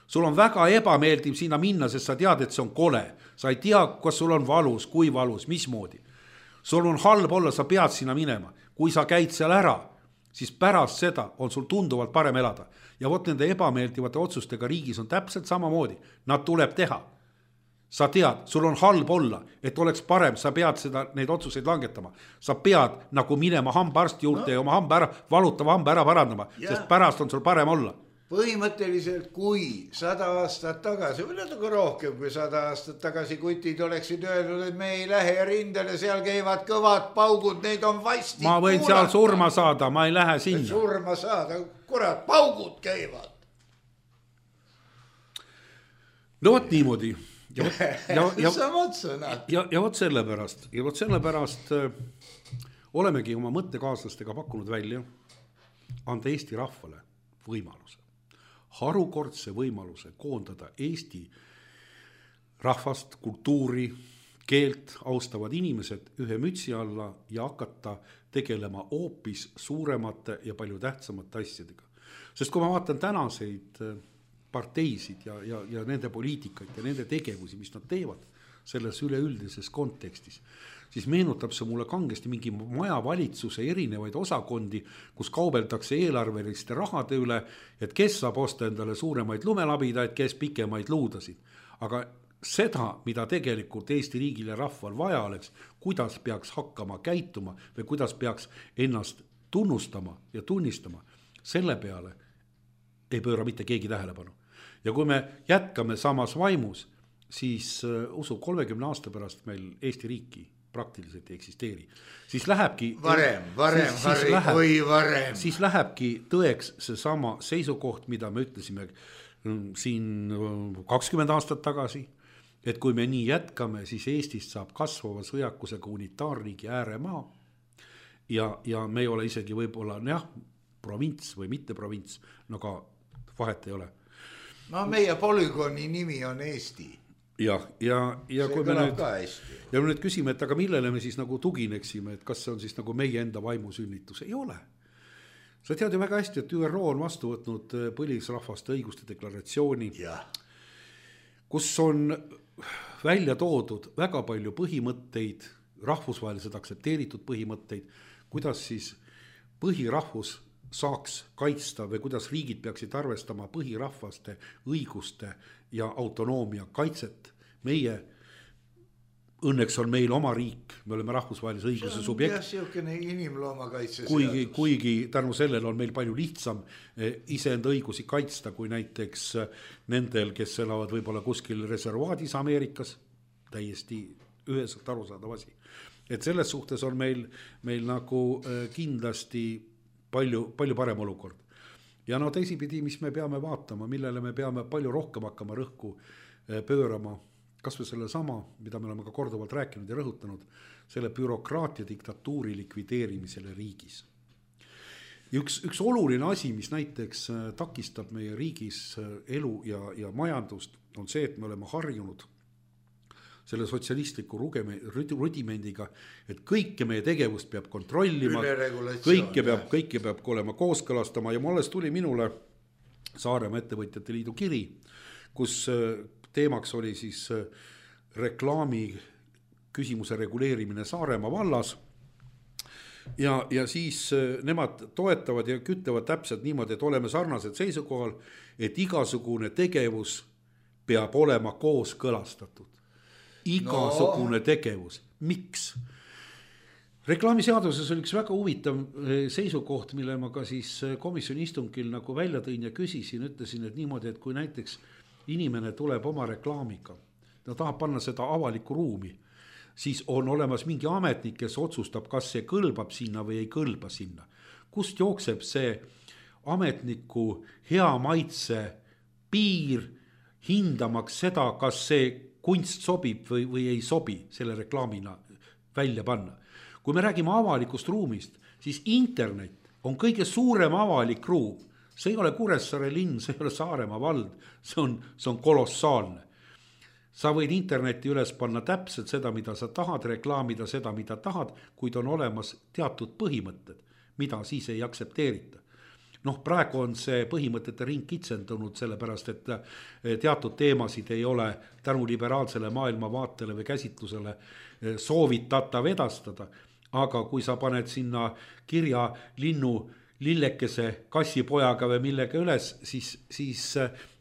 Sul on väga ebameeldiv sinna minna, sest sa tead, et see on kole. Sa ei tea, kas sul on valus, kui valus, mismoodi. Sul on halb olla, sa pead sinna minema. Kui sa käid seal ära, siis pärast seda on sul tunduvalt parem elada. Ja vot nende ebameeldivate otsustega riigis on täpselt samamoodi. Nad tuleb teha. Sa tead, sul on halb olla, et oleks parem, sa pead seda, neid otsuseid langetama. Sa pead nagu minema hambaarsti juurde no. ja oma hamba ära, valutava hamba ära parandama, ja. Sest pärast on sul parem olla. Põhimõtteliselt, kui sada aastat tagasi, või natuke rohkem kui sada aastat tagasi kutid oleksid öelnud, et me ei lähe rindele, seal käivad kõvad paugud, neid on vasti. Ma võin kuulata. Seal surma saada, ma ei lähe sinna. Surma saada, kurat, paugud käivad. No vot niimoodi. Ja, ja, ja, Samad sõnad. Ja, ja vot selle pärast, ja vot selle pärast äh, olemegi oma mõttekaaslastega pakkunud välja anda Eesti rahvale võimaluse. Harukordse võimaluse koondada Eesti rahvast, kultuuri, keelt austavad inimesed ühe mütsi alla ja hakata tegelema hoopis suuremate ja palju tähtsamate asjadega. Sest kui ma vaatan tänaseid parteisid ja, ja, ja nende poliitikaid ja nende tegevusi, mis nad teevad selles üleüldises kontekstis, siis meenutab see mulle kangesti mingi majavalitsuse erinevaid osakondi, kus kaubeldakse eelarveliste rahade üle, et kes saab osta endale suuremaid lumelabidaid, kes pikemaid luudasid. Aga seda, mida tegelikult Eesti riigile rahval vaja oleks, kuidas peaks hakkama käituma või kuidas peaks ennast tunnustama ja tunnistama, selle peale ei pööra mitte keegi tähelepanu. Ja kui me jätkame samas vaimus, siis usu kolmekümne aasta pärast meil Eesti riiki praktiliselt ei eksisteeri. Siis lähebki varem, varem, siis, Harri, siis läheb, või varem. Siis lähebki tõeks see sama seisukoht, mida me ütlesime siin kakskümmend aastat tagasi, et kui me nii jätkame, siis Eestist saab kasvava sõjakusega unitaarriigi ääremaa ja, ja me ei ole isegi võib-olla jah, provints või mitte provints, no ka vahet ei ole. No meie polügooni nimi on Eesti. Ja, ja, ja see kui me nüüd, ja me nüüd küsime, et aga millele me siis nagu tugineksime, et kas see on siis nagu meie enda vaimusünnitus, ei ole. Sa tead ju väga hästi, et Ü R O on vastu võtnud põlisrahvaste õiguste deklaratsiooni, ja. Kus on välja toodud väga palju põhimõtteid, rahvusvaheliselt aktsepteeritud põhimõtteid, kuidas siis põhirahvus saaks kaitsta või kuidas riigid peaksid arvestama põhirahvaste õiguste ja autonoomia kaitset. Meie, õnneks on meil oma riik, me oleme rahvusvahelise õiguse subjekt. See on jah, inimloomakaitse kuigi, kuigi tänu sellele on meil palju lihtsam iseenda õigusi kaitsta, kui näiteks nendel, kes elavad võib-olla kuskil reservaadis Ameerikas, täiesti üheselt arusaadav asi. Et selles suhtes on meil, meil nagu kindlasti palju, palju parem olukord. Ja no teisipidi, mis me peame vaatama, millele me peame palju rohkem hakkama rõhku pöörama, kas või selle sama, mida me oleme ka korduvalt rääkinud ja rõhutanud, selle bürokraatia diktatuuri likvideerimisele riigis. Üks, üks oluline asi, mis näiteks takistab meie riigis elu ja, ja majandust, on see, et me oleme harjunud selle sotsialistliku rudimendiga, et kõike meie tegevust peab kontrollima, kõike peab, kõike peab olema kooskõlastama ja alles tuli minule Saaremaa ettevõtjate liidu kiri, kus teemaks oli siis reklaami küsimuse reguleerimine Saaremaa vallas ja, ja siis nemad toetavad ja kütlevad täpselt niimoodi, et oleme sarnased seisukohal, et igasugune tegevus peab olema kooskõlastatud. Igasugune no. tegevus. Miks? Reklaamiseaduses oli üks väga huvitav seisukoht, mille ma ka siis komisjoni istungil nagu välja tõin ja küsisin, ütlesin, et niimoodi, et kui näiteks inimene tuleb oma reklaamiga, ta tahab panna seda avalikku ruumi, siis on olemas mingi ametnik, kes otsustab, kas see kõlbab sinna või ei kõlba sinna. Kust jookseb see ametniku hea maitse piir hindamaks seda, kas see kunst sobib või, või ei sobi selle reklaamina välja panna. Kui me räägime avalikust ruumist, siis internet on kõige suurem avalik ruum. See ei ole Kuressaare linn, see ei ole Saaremaa vald, see on, see on kolossaalne. Sa võid interneti üles panna täpselt seda, mida sa tahad, reklaamida seda, mida tahad, kuid on olemas teatud põhimõtted, mida siis ei aktsepteerita. Noh, praegu on see põhimõtete ring kitsendunud sellepärast, et teatud teemasid ei ole tänu liberaalsele maailmavaatele või käsitlusele soovitatav edastada. Aga kui sa paned sinna kirja linnu lillekese kassipojaga või millega üles, siis, siis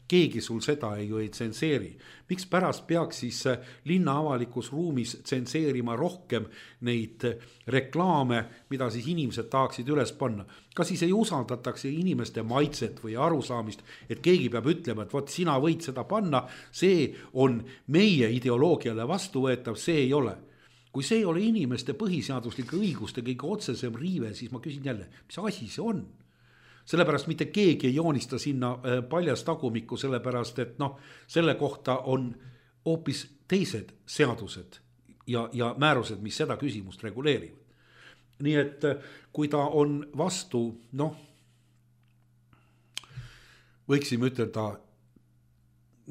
keegi sul seda ei, ju ei tsenseeri. Miks pärast peaks siis linna avalikus ruumis tsenseerima rohkem neid reklaame, mida siis inimesed tahaksid üles panna? Kas siis ei usaldatakse inimeste maitset või arusaamist, et keegi peab ütlema, et võt, sina võid seda panna, see on meie ideoloogiale vastuvõetav, see ei ole. Kui see ei ole inimeste põhiseaduslike õiguste kõige otsesem riive, siis ma küsin jälle, mis asi see on? Sellepärast mitte keegi ei joonista sinna paljas tagumikku, sellepärast et noh, selle kohta on hoopis teised seadused ja, ja määrused, mis seda küsimust reguleerivad. Nii et kui ta on vastu, noh, võiksime ütelda,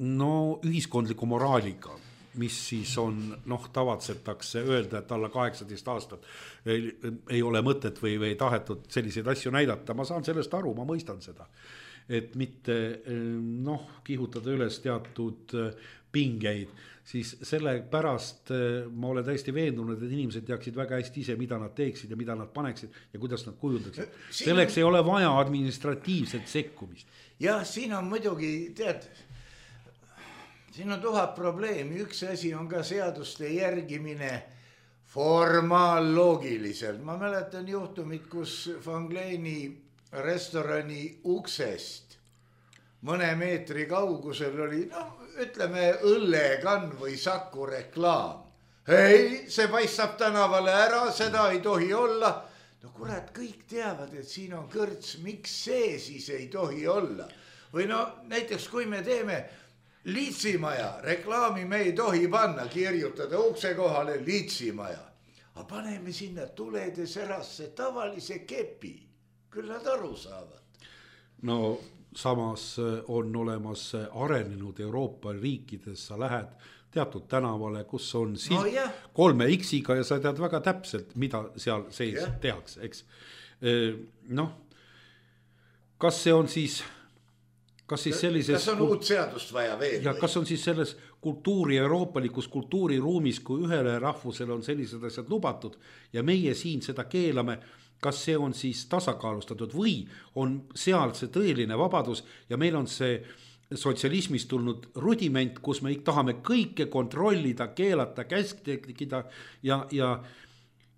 no ühiskondliku moraaliga, mis siis on, noh, tavatsetakse öelda, et alla kaheksateist aastat ei, ei ole mõtet või, või tahetud selliseid asju näidata. Ma saan sellest aru, ma mõistan seda. Et mitte, noh, kihutada üles teatud pingeid, siis selle pärast ma olen täiesti veendunud, et inimesed teaksid väga hästi ise, mida nad teeksid ja mida nad paneksid ja kuidas nad kujundaksid. Selleks ei ole vaja administratiivset sekkumist. Jah, siin on muidugi, tead, siin on tuhat probleemi, üks asi on ka seaduste järgimine formaalloogiliselt. Ma mäletan juhtumit, kus Fangleeni restorani uksest mõne meetri kaugusel oli, no ütleme, õllekann või Saku reklaam. Ei, see paistab tänavale ära, seda ei tohi olla. No kurat, kõik teavad, et siin on kõrts, miks see siis ei tohi olla? Või no näiteks, kui me teeme Liitsimaja, reklaami me ei tohi panna, kirjutada ukse kohale Liitsimaja. Aga paneme sinna tulede serasse tavalise kepi, küll nad aru saavad. No samas on olemas arenenud Euroopa riikides, sa lähed teatud tänavale, kus on silt no, kolme X-iga ja sa tead väga täpselt, mida seal sees ja. tehakse, eks. Noh, kas see on siis, kas siis sellises... Kas on uut seadust vaja veel? Ja kas on siis selles kultuuri, euroopalikus kultuuriruumis, kui ühele rahvusele on sellised asjad lubatud ja meie siin seda keelame, kas see on siis tasakaalustatud või on seal see tõeline vabadus ja meil on see sotsialismist tulnud rudiment, kus me tahame kõike kontrollida, keelata, käskida ja, ja,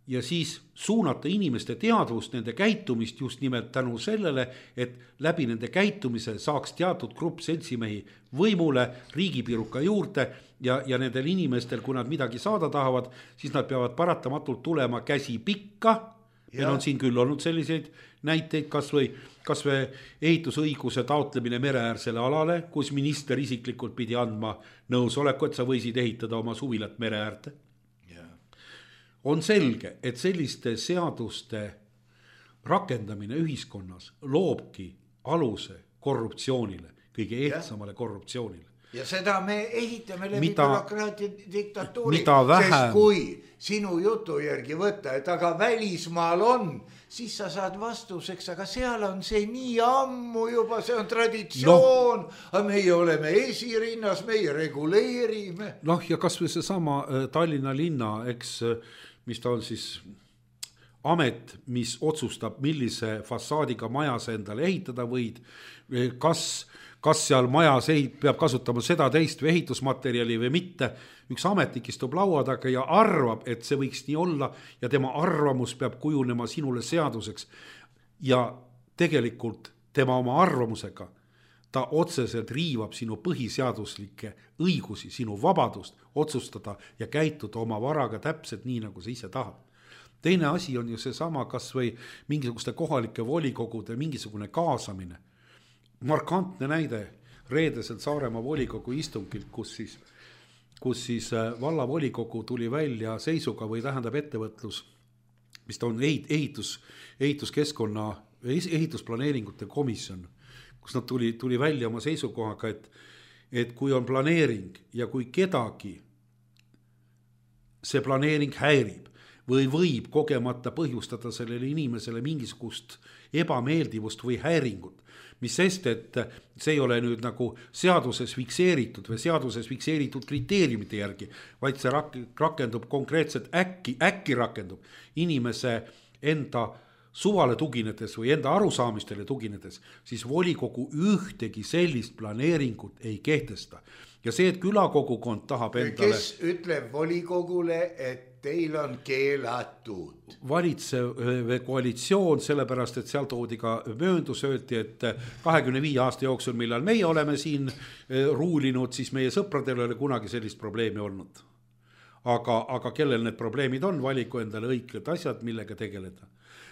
ja siis suunata inimeste teadvust, nende käitumist just nimelt tänu sellele, et läbi nende käitumise saaks teatud grupp seltsimehi võimule, riigipiruka juurde ja, ja nendel inimestel, kui nad midagi saada tahavad, siis nad peavad paratamatult tulema käsi pikka. Meil on siin küll olnud selliseid näiteid, kas või, kas või ehitusõiguse taotlemine mereäärsele alale, kus minister isiklikult pidi andma nõusoleku, et sa võisid ehitada oma suvilat mereäärte. Yeah. On selge, et selliste seaduste rakendamine ühiskonnas loobki aluse korruptsioonile, kõige ehtsamale yeah. korruptsioonile. Ja seda me ehitame läbi bürokraatia diktatuuri, sest kui sinu jutu järgi võtta, et aga välismaal on, siis sa saad vastuseks, aga seal on see nii ammu juba, see on traditsioon, no, aga meie oleme esirinnas, meie reguleerime. Noh, ja kas või see sama Tallinna linna, eks, mis ta on siis amet, mis otsustab, millise fassaadiga majas endale ehitada võid, kas kas seal majas peab kasutama seda teist või ehitusmaterjali või mitte. Üks ametnik istub laua taga ja arvab, et see võiks nii olla ja tema arvamus peab kujunema sinule seaduseks. Ja tegelikult tema oma arvamusega, ta otseselt riivab sinu põhiseaduslikke õigusi, sinu vabadust otsustada ja käituda oma varaga täpselt nii, nagu sa ise tahad. Teine asi on ju see sama, kas või mingisuguste kohalike volikogude mingisugune kaasamine. Markantne näide reedeselt Saaremaa volikogu istungilt, kus siis, kus siis valla volikogu tuli välja seisuga või tähendab ettevõtlus, mis ta on ehitus, ehituskeskkonna, ehitusplaneeringute komisjon, kus nad tuli, tuli välja oma seisukohaga, et, et kui on planeering ja kui kedagi see planeering häirib või võib kogemata põhjustada sellele inimesele mingisugust ebameeldivust või häiringut, mis sest, et see ei ole nüüd nagu seaduses fikseeritud või seaduses fikseeritud kriteeriumite järgi, vaid see rakendub konkreetselt äkki, äkki rakendub inimese enda suvale tuginedes või enda arusaamistele tuginedes, siis volikogu ühtegi sellist planeeringut ei kehtesta. Ja see, et külakogukond tahab endale... Kes ütleb volikogule, et teil on keelatud? Valitsev koalitsioon, sellepärast, et seal toodi ka mööndus, öeldi, et kahekümne viie aasta jooksul, millal meie oleme siin ruulinud, siis meie sõpradel ei ole kunagi sellist probleemi olnud. Aga, aga kellel need probleemid on, valiku endale õiged asjad, millega tegeleda.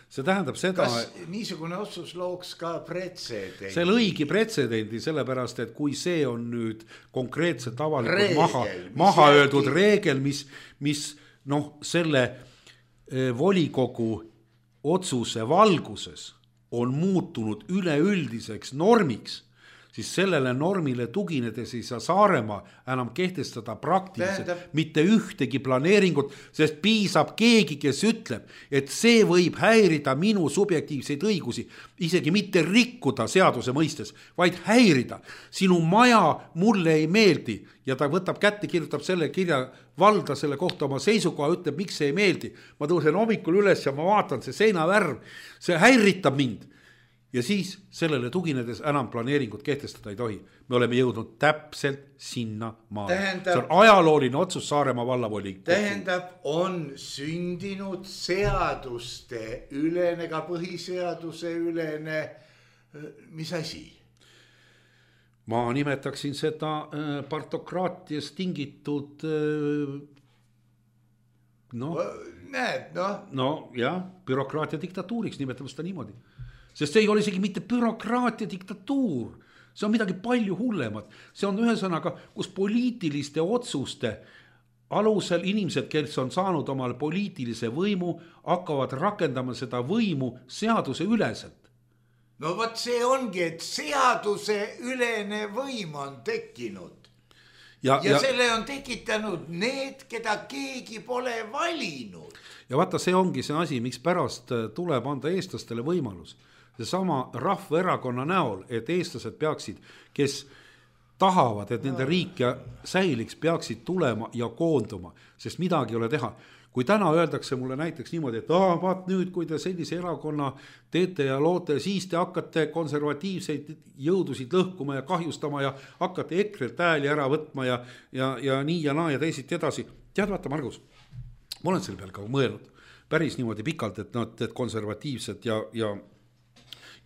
See tähendab seda... Kas niisugune otsus looks ka pretsedendi? See lõigi pretsedendi, sellepärast, et kui see on nüüd konkreetselt avalikult maha, maha öeldud reegel, mis, mis noh, selle volikogu otsuse valguses on muutunud üleüldiseks normiks, siis sellele normile tuginedes ei saa Saaremaa enam kehtestada praktiliselt Tähendab. mitte ühtegi planeeringut, sest piisab keegi, kes ütleb, et see võib häirida minu subjektiivseid õigusi, isegi mitte rikkuda seaduse mõistes, vaid häirida. Sinu maja mulle ei meeldi ja ta võtab kätte, kirjutab selle kirja valda selle kohta oma seisukoha, ütleb, miks see ei meeldi. Ma tõusen hommikul üles ja ma vaatan, see seinavärv, see häiritab mind. Ja siis sellele tuginedes enam planeeringut kehtestada ei tohi. Me oleme jõudnud täpselt sinna maale. Tähendab, see on ajalooline otsus Saaremaa vallavolikogu. Tähendab, on sündinud seaduste ülene, ka põhiseaduse ülene, mis asi? ma nimetaksin seda partokraatias tingitud no, näed, noh. No jah, bürokraatia diktatuuriks nimetame seda niimoodi. Sest see ei ole isegi mitte bürokraatia diktatuur, see on midagi palju hullemat. See on ühesõnaga, kus poliitiliste otsuste alusel inimesed, kes on saanud omale poliitilise võimu, hakkavad rakendama seda võimu seaduse üleselt. No võt see ongi, et seaduse ülene võim on tekkinud. Ja, ja, ja selle on tekitanud need, keda keegi pole valinud. Ja vaata, see ongi see asi, miks pärast tuleb anda eestlastele võimalus. Seesama rahvaerakonna näol, et eestlased peaksid, kes tahavad, et nende riik ja säiliks, peaksid tulema ja koonduma, sest midagi ei ole teha. Kui täna öeldakse mulle näiteks niimoodi, et ah, vaat nüüd, kui te sellise erakonna teete ja loote, siis te hakkate konservatiivseid jõudusid lõhkuma ja kahjustama ja hakkate EKRE-lt hääli ära võtma ja, ja, ja nii ja naa ja teisiti edasi. Tead, vaata, Margus, ma olen selle peal ka mõelnud päris niimoodi pikalt, et nad et konservatiivsed ja, ja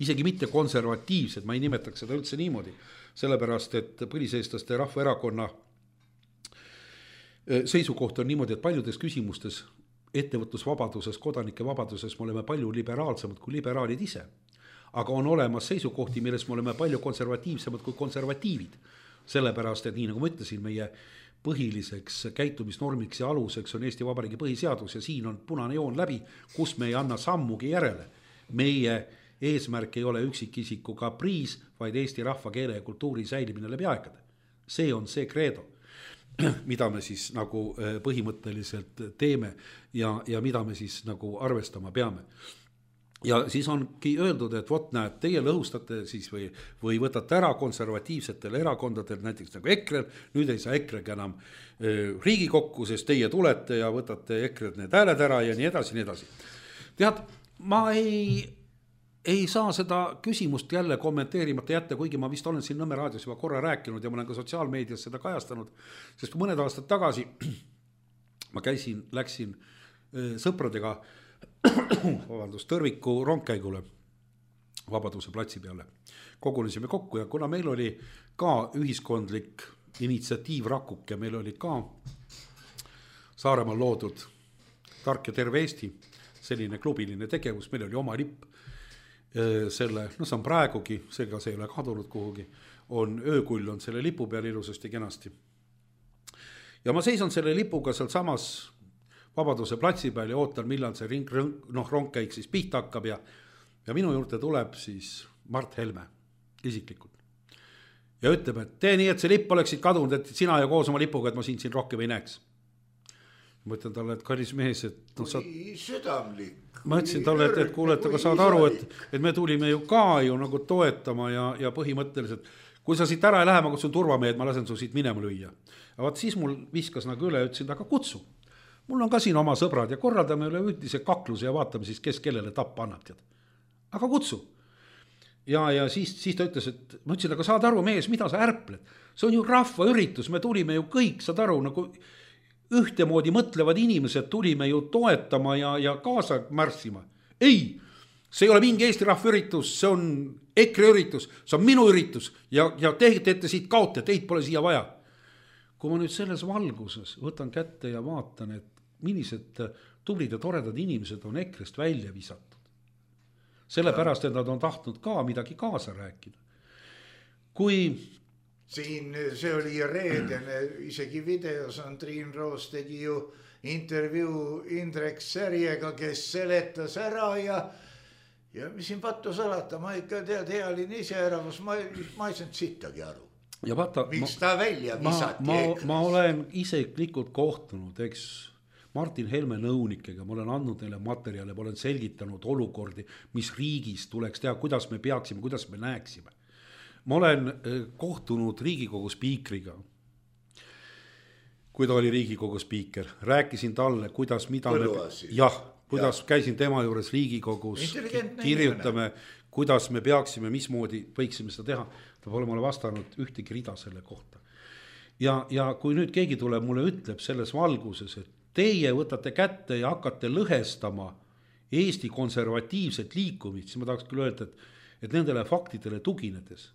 isegi mitte konservatiivsed, ma ei nimetaks seda üldse niimoodi, sellepärast, et põliseestlaste rahvaerakonna seisukoht on niimoodi, et paljudes küsimustes ettevõtlusvabaduses, kodanike vabaduses me oleme palju liberaalsemad kui liberaalid ise. Aga on olemas seisukohti, milles me oleme palju konservatiivsemad kui konservatiivid. Sellepärast, et nii nagu ma ütlesin, meie põhiliseks käitumisnormiks ja aluseks on Eesti Vabariigi põhiseadus ja siin on punane joon läbi, kus me ei anna sammugi järele. Meie eesmärk ei ole üksikisiku kapriis, vaid Eesti rahva, keele ja kultuuri säilimine läbi aegade. See on see kreedo, mida me siis nagu põhimõtteliselt teeme ja, ja mida me siis nagu arvestama peame. Ja siis ongi öeldud, et vot näed, teie lõhustate siis või, või võtate ära konservatiivsetel erakondadel, näiteks nagu EKRE, nüüd ei saa EKRE enam Riigikokku, sest teie tulete ja võtate EKRE need hääled ära ja nii edasi, nii edasi. Tead, ma ei... ei saa seda küsimust jälle kommenteerimata jätta, kuigi ma vist olen siin Nõmme raadios juba korra rääkinud ja ma olen ka sotsiaalmeedias seda kajastanud, sest mõned aastad tagasi ma käisin, läksin sõpradega vabandust, Tõrviku rongkäigule Vabaduse platsi peale. Kogunesime kokku ja kuna meil oli ka ühiskondlik initsiatiiv Rakuke, meil oli ka Saaremaal loodud Tark ja terve Eesti, selline klubiline tegevus, meil oli oma lipp. Selle, no see on praegugi, seega see ei ole kadunud kuhugi, on öökull on selle lipu peal ilusasti kenasti. Ja ma seison selle lipuga seal samas Vabaduse platsi peal ja ootan, millal see ring, noh, rongkäik siis pihta hakkab ja, ja minu juurde tuleb siis Mart Helme isiklikult. Ja ütleb, et tee nii, et see lipp oleksid kadunud, et sina ja koos oma lipuga, et ma siin siin rohkem ei näeks. Ma ütlen talle, et kallis mees, et no, saad... südamlik. Ma ütlesin talle, et, et kuulete, aga saad aru, et, et me tulime ju ka ju nagu toetama ja, ja põhimõtteliselt, kui sa siit ära ei lähe, ma kutsun turvamehed, ma lasen su siit minema lüüa. Ja vaat siis mul viskas nagu üle, ütlesin, aga kutsu. Mul on ka siin oma sõbrad ja korraldame üle üldise kakluse ja vaatame siis, kes kellele tappa annab. Tead. Aga kutsu. Ja, ja siis, siis ta ütles, et ma ütlesin, aga saad aru, mees, mida sa ärpled? See on ju rahva üritus, me tulime ju kõik, saad aru, nagu ühtemoodi mõtlevad inimesed tulime ju toetama ja, ja kaasa märssima. Ei, see ei ole mingi Eesti rahva üritus, see on EKRE üritus, see on minu üritus ja, ja te teete siit kaote, teid pole siia vaja. Kui ma nüüd selles valguses võtan kätte ja vaatan, et millised tublid ja toredad inimesed on EKRE-st välja visatud. Sellepärast, et nad on tahtnud ka midagi kaasa rääkida. Kui... Siin see oli reedene, isegi videos on Triin Roos tegi ju intervjuu Indrek Särjega, kes seletas ära ja, ja mis siin pattu salata, ma ikka tead, healin ise ära, ma, ma ei saanud sittagi aru. Ja vaata, miks ta välja visati? Ma, ma, ma olen isiklikult kohtunud, eks Martin Helme nõunikega, ma olen andnud neile materjale, ma olen selgitanud olukordi, mis riigis tuleks teha, kuidas me peaksime, kuidas me näeksime. Ma olen kohtunud Riigikogu spiikriga, kui ta oli Riigikogu spiiker, rääkisin talle, kuidas, mida me, jah, kuidas ja. Käisin tema juures Riigikogus, kirjutame, kuidas me peaksime, mismoodi võiksime seda teha. Ta pole mulle vastanud ühtegi rida selle kohta. Ja, ja kui nüüd keegi tuleb mulle ütleb selles valguses, et teie võtate kätte ja hakkate lõhestama Eesti konservatiivset liikumist, siis ma tahaks küll öelda, et, et nendele faktidele tuginedes,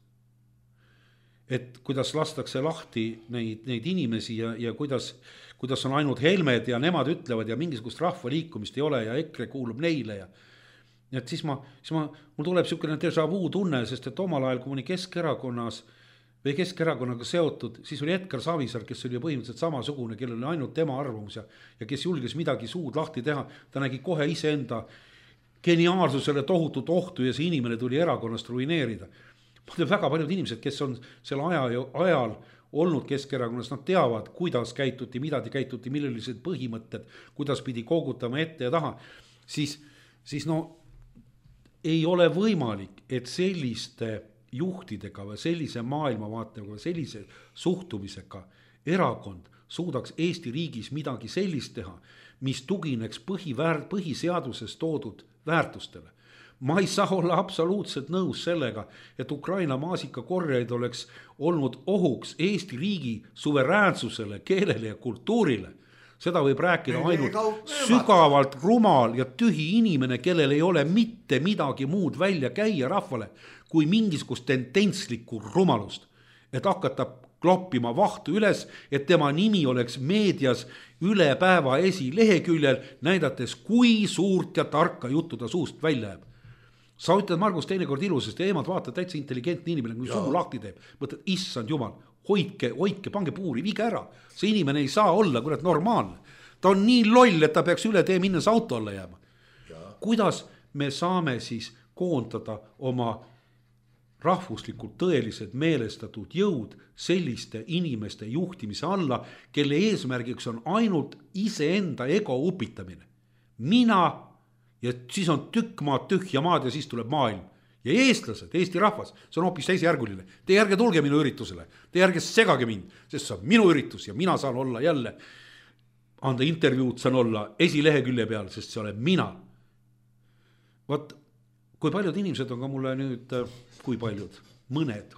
et kuidas lastakse lahti neid, neid inimesi ja, ja kuidas, kuidas on ainult Helmed ja nemad ütlevad ja mingisugust rahvaliikumist ei ole ja EKRE kuulub neile ja et siis ma, siis ma, mul tuleb niisugune déjà vu tunne, sest et omal ajal, kui ma olin Keskerakonnas või Keskerakonnaga seotud, siis oli Edgar Savisaar, kes oli põhimõtteliselt samasugune, kellel oli ainult tema arvamus ja, ja kes julges midagi suud lahti teha, ta nägi kohe iseenda geniaalsusele tohutut ohtu ja see inimene tuli erakonnast ruineerida. Ma tean väga paljud inimesed, kes on selle aja, ajal olnud Keskerakonnas, nad teavad, kuidas käituti, mida käituti, millised põhimõtted, kuidas pidi koogutama ette ja taha, siis, siis no ei ole võimalik, et selliste juhtidega või sellise maailmavaatega või sellise suhtumisega erakond suudaks Eesti riigis midagi sellist teha, mis tugineks põhiväär, põhiseaduses toodud väärtustele. Ma ei saa olla absoluutselt nõus sellega, et Ukraina maasikakorjaid oleks olnud ohuks Eesti riigi suveräänsusele, keelele ja kultuurile. Seda võib rääkida ainult sügavalt rumal ja tühi inimene, kellel ei ole mitte midagi muud välja käia rahvale, kui mingisugust tendentslikku rumalust. Et hakata kloppima vahtu üles, et tema nimi oleks meedias üle päeva esileheküljel, näidates, kui suurt ja tarka juttu ta suust välja jääb. Sa ütled, Margus, teinekord ilusasti, eemalt vaatad täitsa intelligentne inimene, kui suu lahti teeb. Mõtled, issand jumal, hoidke, hoidke, pange puuri, viige ära. See inimene ei saa olla kurat normaalne. Ta on nii loll, et ta peaks üle tee minnes auto alla jääma. Ja. Kuidas me saame siis koondada oma rahvuslikult tõelised meelestatud jõud selliste inimeste juhtimise alla, kelle eesmärgiks on ainult iseenda ego upitamine. Mina ja siis on tükk maad, tühja maad ja siis tuleb maailm. Ja eestlased, Eesti rahvas, see on hoopis teisejärguline. Te järge tulge minu üritusele, te järge segage mind, sest see on minu üritus ja mina saan olla jälle, anda intervjuud, saan olla esilehekülje peal, sest see olen mina. Vaat, kui paljud inimesed on ka mulle nüüd, kui paljud, mõned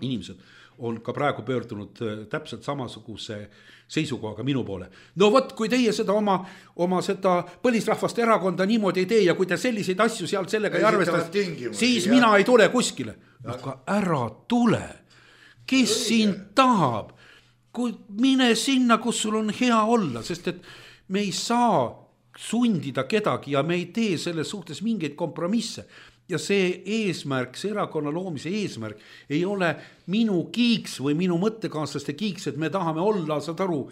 inimesed on ka praegu pöördunud täpselt samasuguse seisukohaga minu poole. No vot, kui teie seda oma, oma seda põlisrahvaste erakonda niimoodi ei tee ja kui te selliseid asju seal sellega ei arvestas, siis jah. Mina ei tule kuskile. Aga ära tule. Kes Õige. Siin tahab? Kui mine sinna, kus sul on hea olla, sest et me ei saa sundida kedagi ja me ei tee selles suhtes mingeid kompromisse. Ja see eesmärk, see erakonna loomise eesmärk ei ole minu kiiks või minu mõttekaaslaste kiiks, et me tahame olla, saad aru,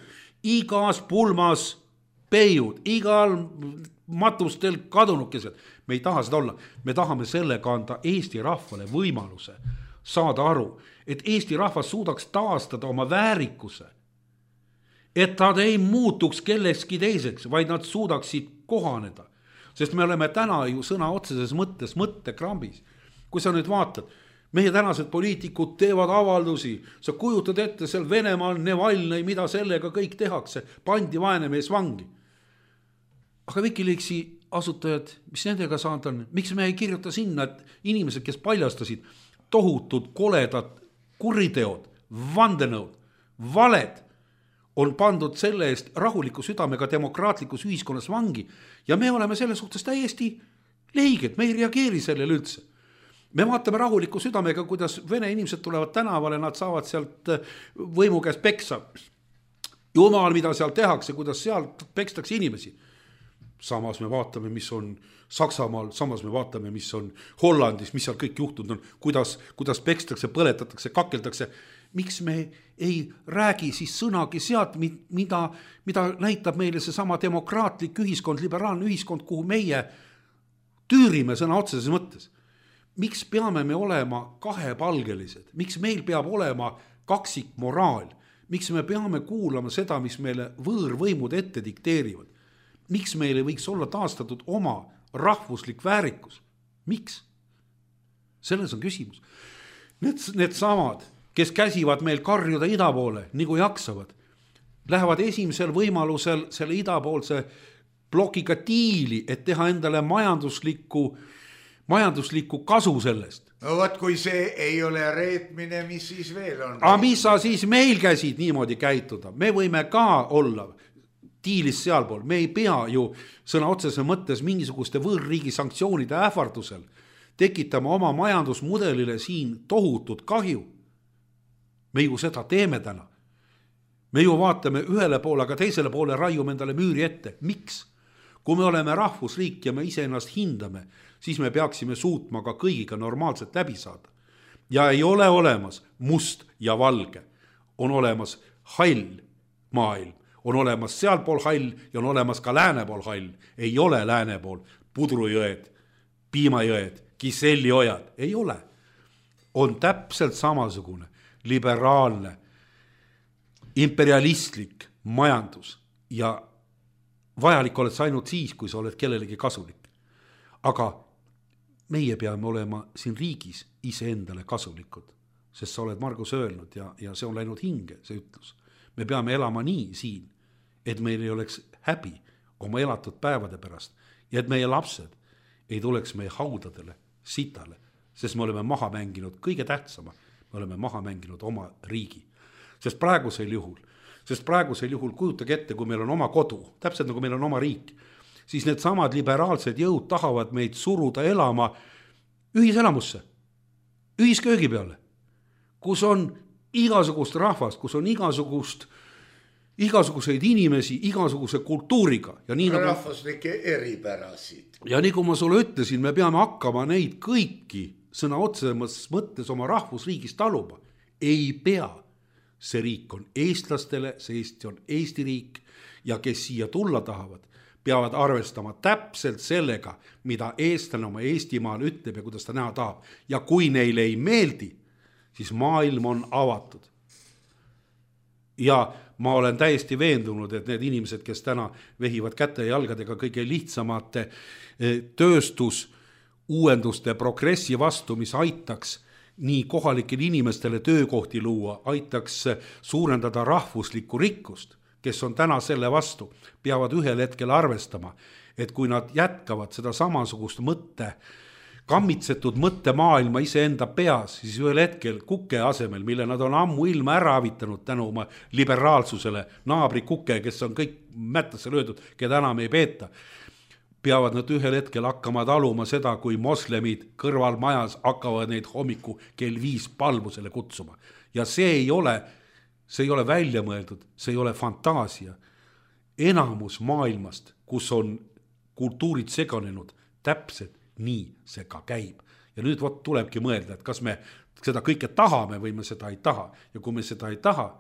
igas pulmas peiud, igal matustel kadunukesed. Me ei taha seda olla. Me tahame sellega anda Eesti rahvale võimaluse saada aru, et Eesti rahvas suudaks taastada oma väärikuse, et nad ei muutuks kellekski teiseks, vaid nad suudaksid kohaneda. Sest me oleme täna ju sõna otseses mõttes mõttekrambis. Kui sa nüüd vaatad, meie tänased poliitikud teevad avaldusi, sa kujutad ette seal Venemaal Nevalnõi, mida sellega kõik tehakse, pandi vaene mees vangi. Aga Wikileaksi asutajad, mis nendega saanud on, miks me ei kirjuta sinna, et inimesed, kes paljastasid tohutud koledad kuriteod, vandenõud, valed, on pandud selle eest rahuliku südamega demokraatlikus ühiskonnas vangi ja me oleme selle suhtes täiesti leiged, me ei reageeri sellele üldse. Me vaatame rahuliku südamega, kuidas vene inimesed tulevad tänavale, nad saavad sealt võimu käest peksa. Jumal, mida seal tehakse, kuidas seal pekstakse inimesi. Samas me vaatame, mis on Saksamaal, samas me vaatame, mis on Hollandis, mis seal kõik juhtunud on, kuidas, kuidas pekstakse, põletatakse, kakeldakse. Miks me ei räägi siis sõnagi sealt, mida, mida näitab meile see sama demokraatlik ühiskond, liberaalne ühiskond, kuhu meie tüürime sõna otseses mõttes. Miks peame me olema kahepalgelised? Miks meil peab olema kaksik moraal? Miks me peame kuulama seda, mis meile võõrvõimud ette dikteerivad? Miks meile võiks olla taastatud oma rahvuslik väärikus? Miks? Selles on küsimus. Need, need samad, kes käsivad meil karjuda ida poole, nagu jaksavad, lähevad esimesel võimalusel selle idapoolse blokiga tiili, et teha endale majanduslikku, majanduslikku kasu sellest. No võt, kui see ei ole reetmine, mis siis veel on? Aga mis sa siis meil käsid niimoodi käituda? Me võime ka olla tiilis sealpool. Me ei pea ju sõna otsese mõttes mingisuguste võõrriigi sanktsioonide ähvardusel tekitama oma majandusmudelile siin tohutut kahju. me ju seda teeme täna. me ju vaatame ühele poole, aga teisele poole raiume endale müüri ette. Miks? Kui me oleme rahvusriik ja me ise ennast hindame, siis me peaksime suutma ka kõigiga normaalselt läbi saada. Ja ei ole olemas must ja valge. On olemas hall maailm. On olemas sealpool hall ja on olemas ka lääne pool hall. Ei ole lääne pool pudrujõed, piimajõed, kisselliojad. Ei ole. On täpselt samasugune liberaalne, imperialistlik majandus ja vajalik oled sa ainult siis, kui sa oled kellelegi kasulik. Aga meie peame olema siin riigis iseendale kasulikud, sest sa oled Margus öelnud ja, ja see on läinud hinge, see ütlus. Me peame elama nii siin, et meil ei oleks häbi oma elatud päevade pärast ja et meie lapsed ei tuleks meie haudadele, sitale, sest me oleme maha mänginud kõige tähtsama, me oleme maha mänginud oma riigi. Sest praegusel juhul, sest praegusel juhul kujutage ette, kui meil on oma kodu, täpselt nagu meil on oma riik, siis need samad liberaalsed jõud tahavad meid suruda elama ühiselamusse, ühisköögi peale, kus on igasugust rahvast, kus on igasugust, igasuguseid inimesi, igasuguse kultuuriga. Ja nii nagu, rahvuslike eripärasid. Ja nii kui ma sulle ütlesin, me peame hakkama neid kõiki sõna otsemas mõttes oma rahvusriigist taluma. Ei pea. See riik on eestlastele, see Eesti on Eesti riik ja kes siia tulla tahavad, peavad arvestama täpselt sellega, mida eestlane oma Eestimaal ütleb ja kuidas ta näha tahab. Ja kui neile ei meeldi, siis maailm on avatud. Ja ma olen täiesti veendunud, et need inimesed, kes täna vehivad käte ja jalgadega kõige lihtsamate tööstus, uuenduste progressi vastu, mis aitaks nii kohalikele inimestele töökohti luua, aitaks suurendada rahvuslikku rikkust, kes on täna selle vastu, peavad ühel hetkel arvestama, et kui nad jätkavad seda samasugust mõtte, kammitsetud mõttemaailma iseenda peas, siis ühel hetkel kuke asemel, mille nad on ammu ilma ära avitanud tänu oma liberaalsusele, naabri kuke, kes on kõik mättasse löödud, keda enam ei peeta, peavad nad ühel hetkel hakkama taluma seda, kui moslemid kõrval majas hakkavad neid hommiku kell viis palvusele kutsuma. Ja see ei ole, see ei ole välja mõeldud, see ei ole fantaasia. Enamus maailmast, kus on kultuurid seganenud, täpselt nii see ka käib. Ja nüüd võt tulebki mõelda, et kas me seda kõike tahame või me seda ei taha. Ja kui me seda ei taha,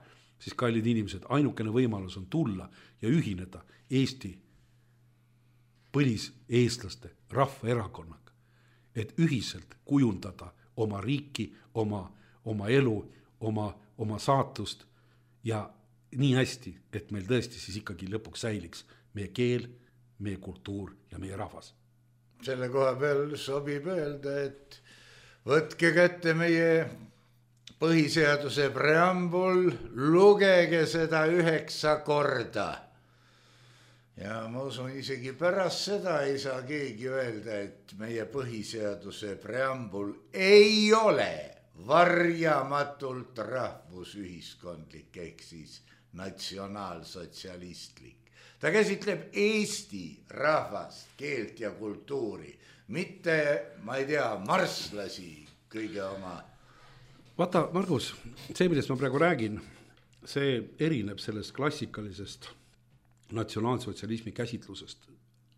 siis kallid inimesed, ainukene võimalus on tulla ja ühineda Eesti põlis eestlaste rahvaerakonnaga, et ühiselt kujundada oma riiki, oma, oma elu, oma, oma saatust ja nii hästi, et meil tõesti siis ikkagi lõpuks säiliks meie keel, meie kultuur ja meie rahvas. Selle koha peal sobib öelda, et võtke kätte meie põhiseaduse preambul, lugege seda üheksa korda. Ja ma usun, isegi pärast seda ei saa keegi öelda, et meie põhiseaduse preambul ei ole varjamatult rahvusühiskondlik ehk siis natsionaalsotsialistlik. Ta käsitleb Eesti rahvast, keelt ja kultuuri, mitte, ma ei tea, marslasi kõige oma. Vaata, Margus, see, millest ma praegu räägin, see erineb sellest klassikalisest natsionaalsotsialismi käsitlusest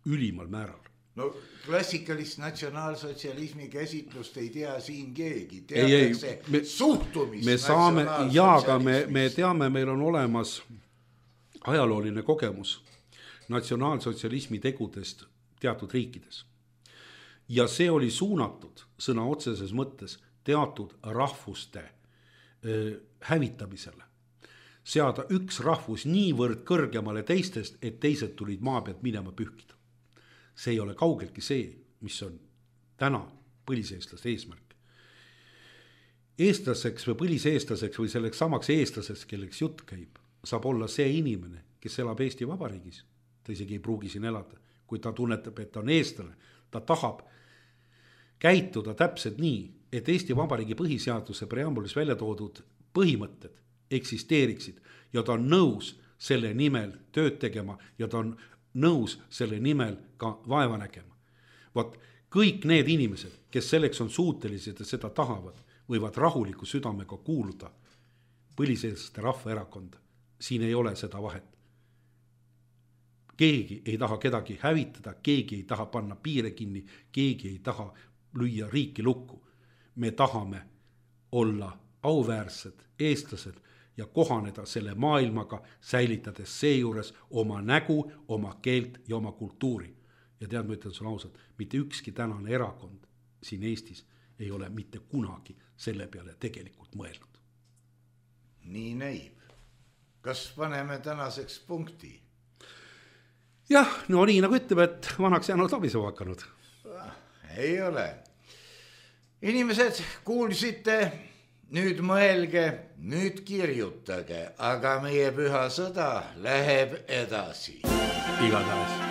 ülimal määral. No klassikalist natsionaalsotsialismi käsitlust ei tea siin keegi. Ei, ei, me, suhtumist me saame, ja aga me, me teame, meil on olemas ajalooline kogemus natsionaalsotsialismi tegudest teatud riikides. Ja see oli suunatud sõna otseses mõttes teatud rahvuste äh, hävitamisele. Seada üks rahvus niivõrd kõrgemale teistest, et teised tulid maa pealt minema pühkida. See ei ole kaugeltki see, mis on täna põliseestlaste eesmärk. Eestlaseks või põliseestlaseks või selleks samaks eestlaseks, kelleks jutt käib, saab olla see inimene, kes elab Eesti Vabariigis. Ta isegi ei pruugi siin elada. Kui ta tunnetab, et ta on eestlane, ta tahab käituda täpselt nii, et Eesti Vabariigi põhiseaduse preambulis välja toodud põhimõtted eksisteeriksid ja ta on nõus selle nimel tööd tegema ja ta on nõus selle nimel ka vaeva nägema. Vaat kõik need inimesed, kes selleks on suutelised ja seda tahavad, võivad rahuliku südamega kuuluda põliseelste rahvaerakond. Siin ei ole seda vahet. Keegi ei taha kedagi hävitada, keegi ei taha panna piire kinni, keegi ei taha lüüa riiki lukku. Me tahame olla auväärsed eestlased ja kohaneda selle maailmaga, säilitades seejuures oma nägu, oma keelt ja oma kultuuri. Ja tead, ma ütlen sulle ausalt, mitte ükski tänane erakond siin Eestis ei ole mitte kunagi selle peale tegelikult mõelnud. Nii näib. Kas paneme tänaseks punkti? Jah, no nii nagu ütleb, et vanaks jäänud abisema hakanud. Ei ole. Inimesed, kuulsite, nüüd mõelge, nüüd kirjutage, aga meie püha sõda läheb edasi. Igatahes.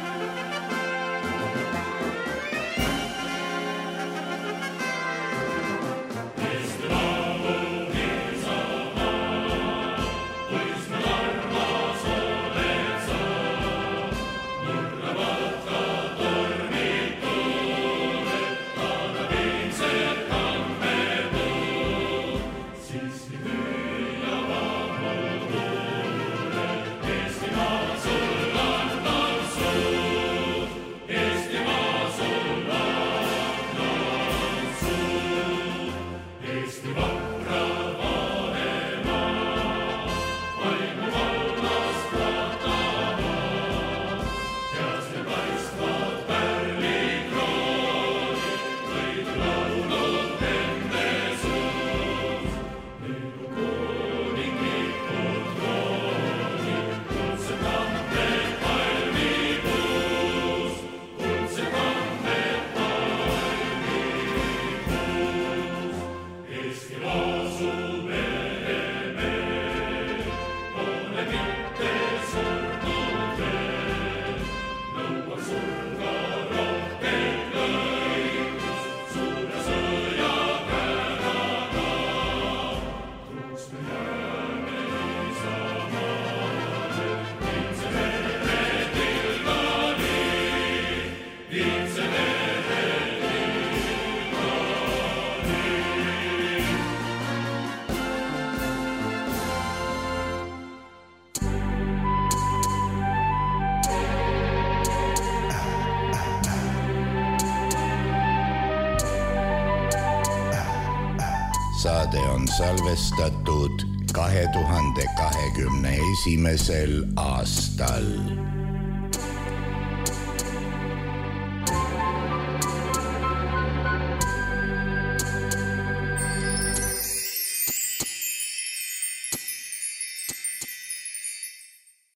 Saade on salvestatud kahe tuhande kahekümne esimesel aastal.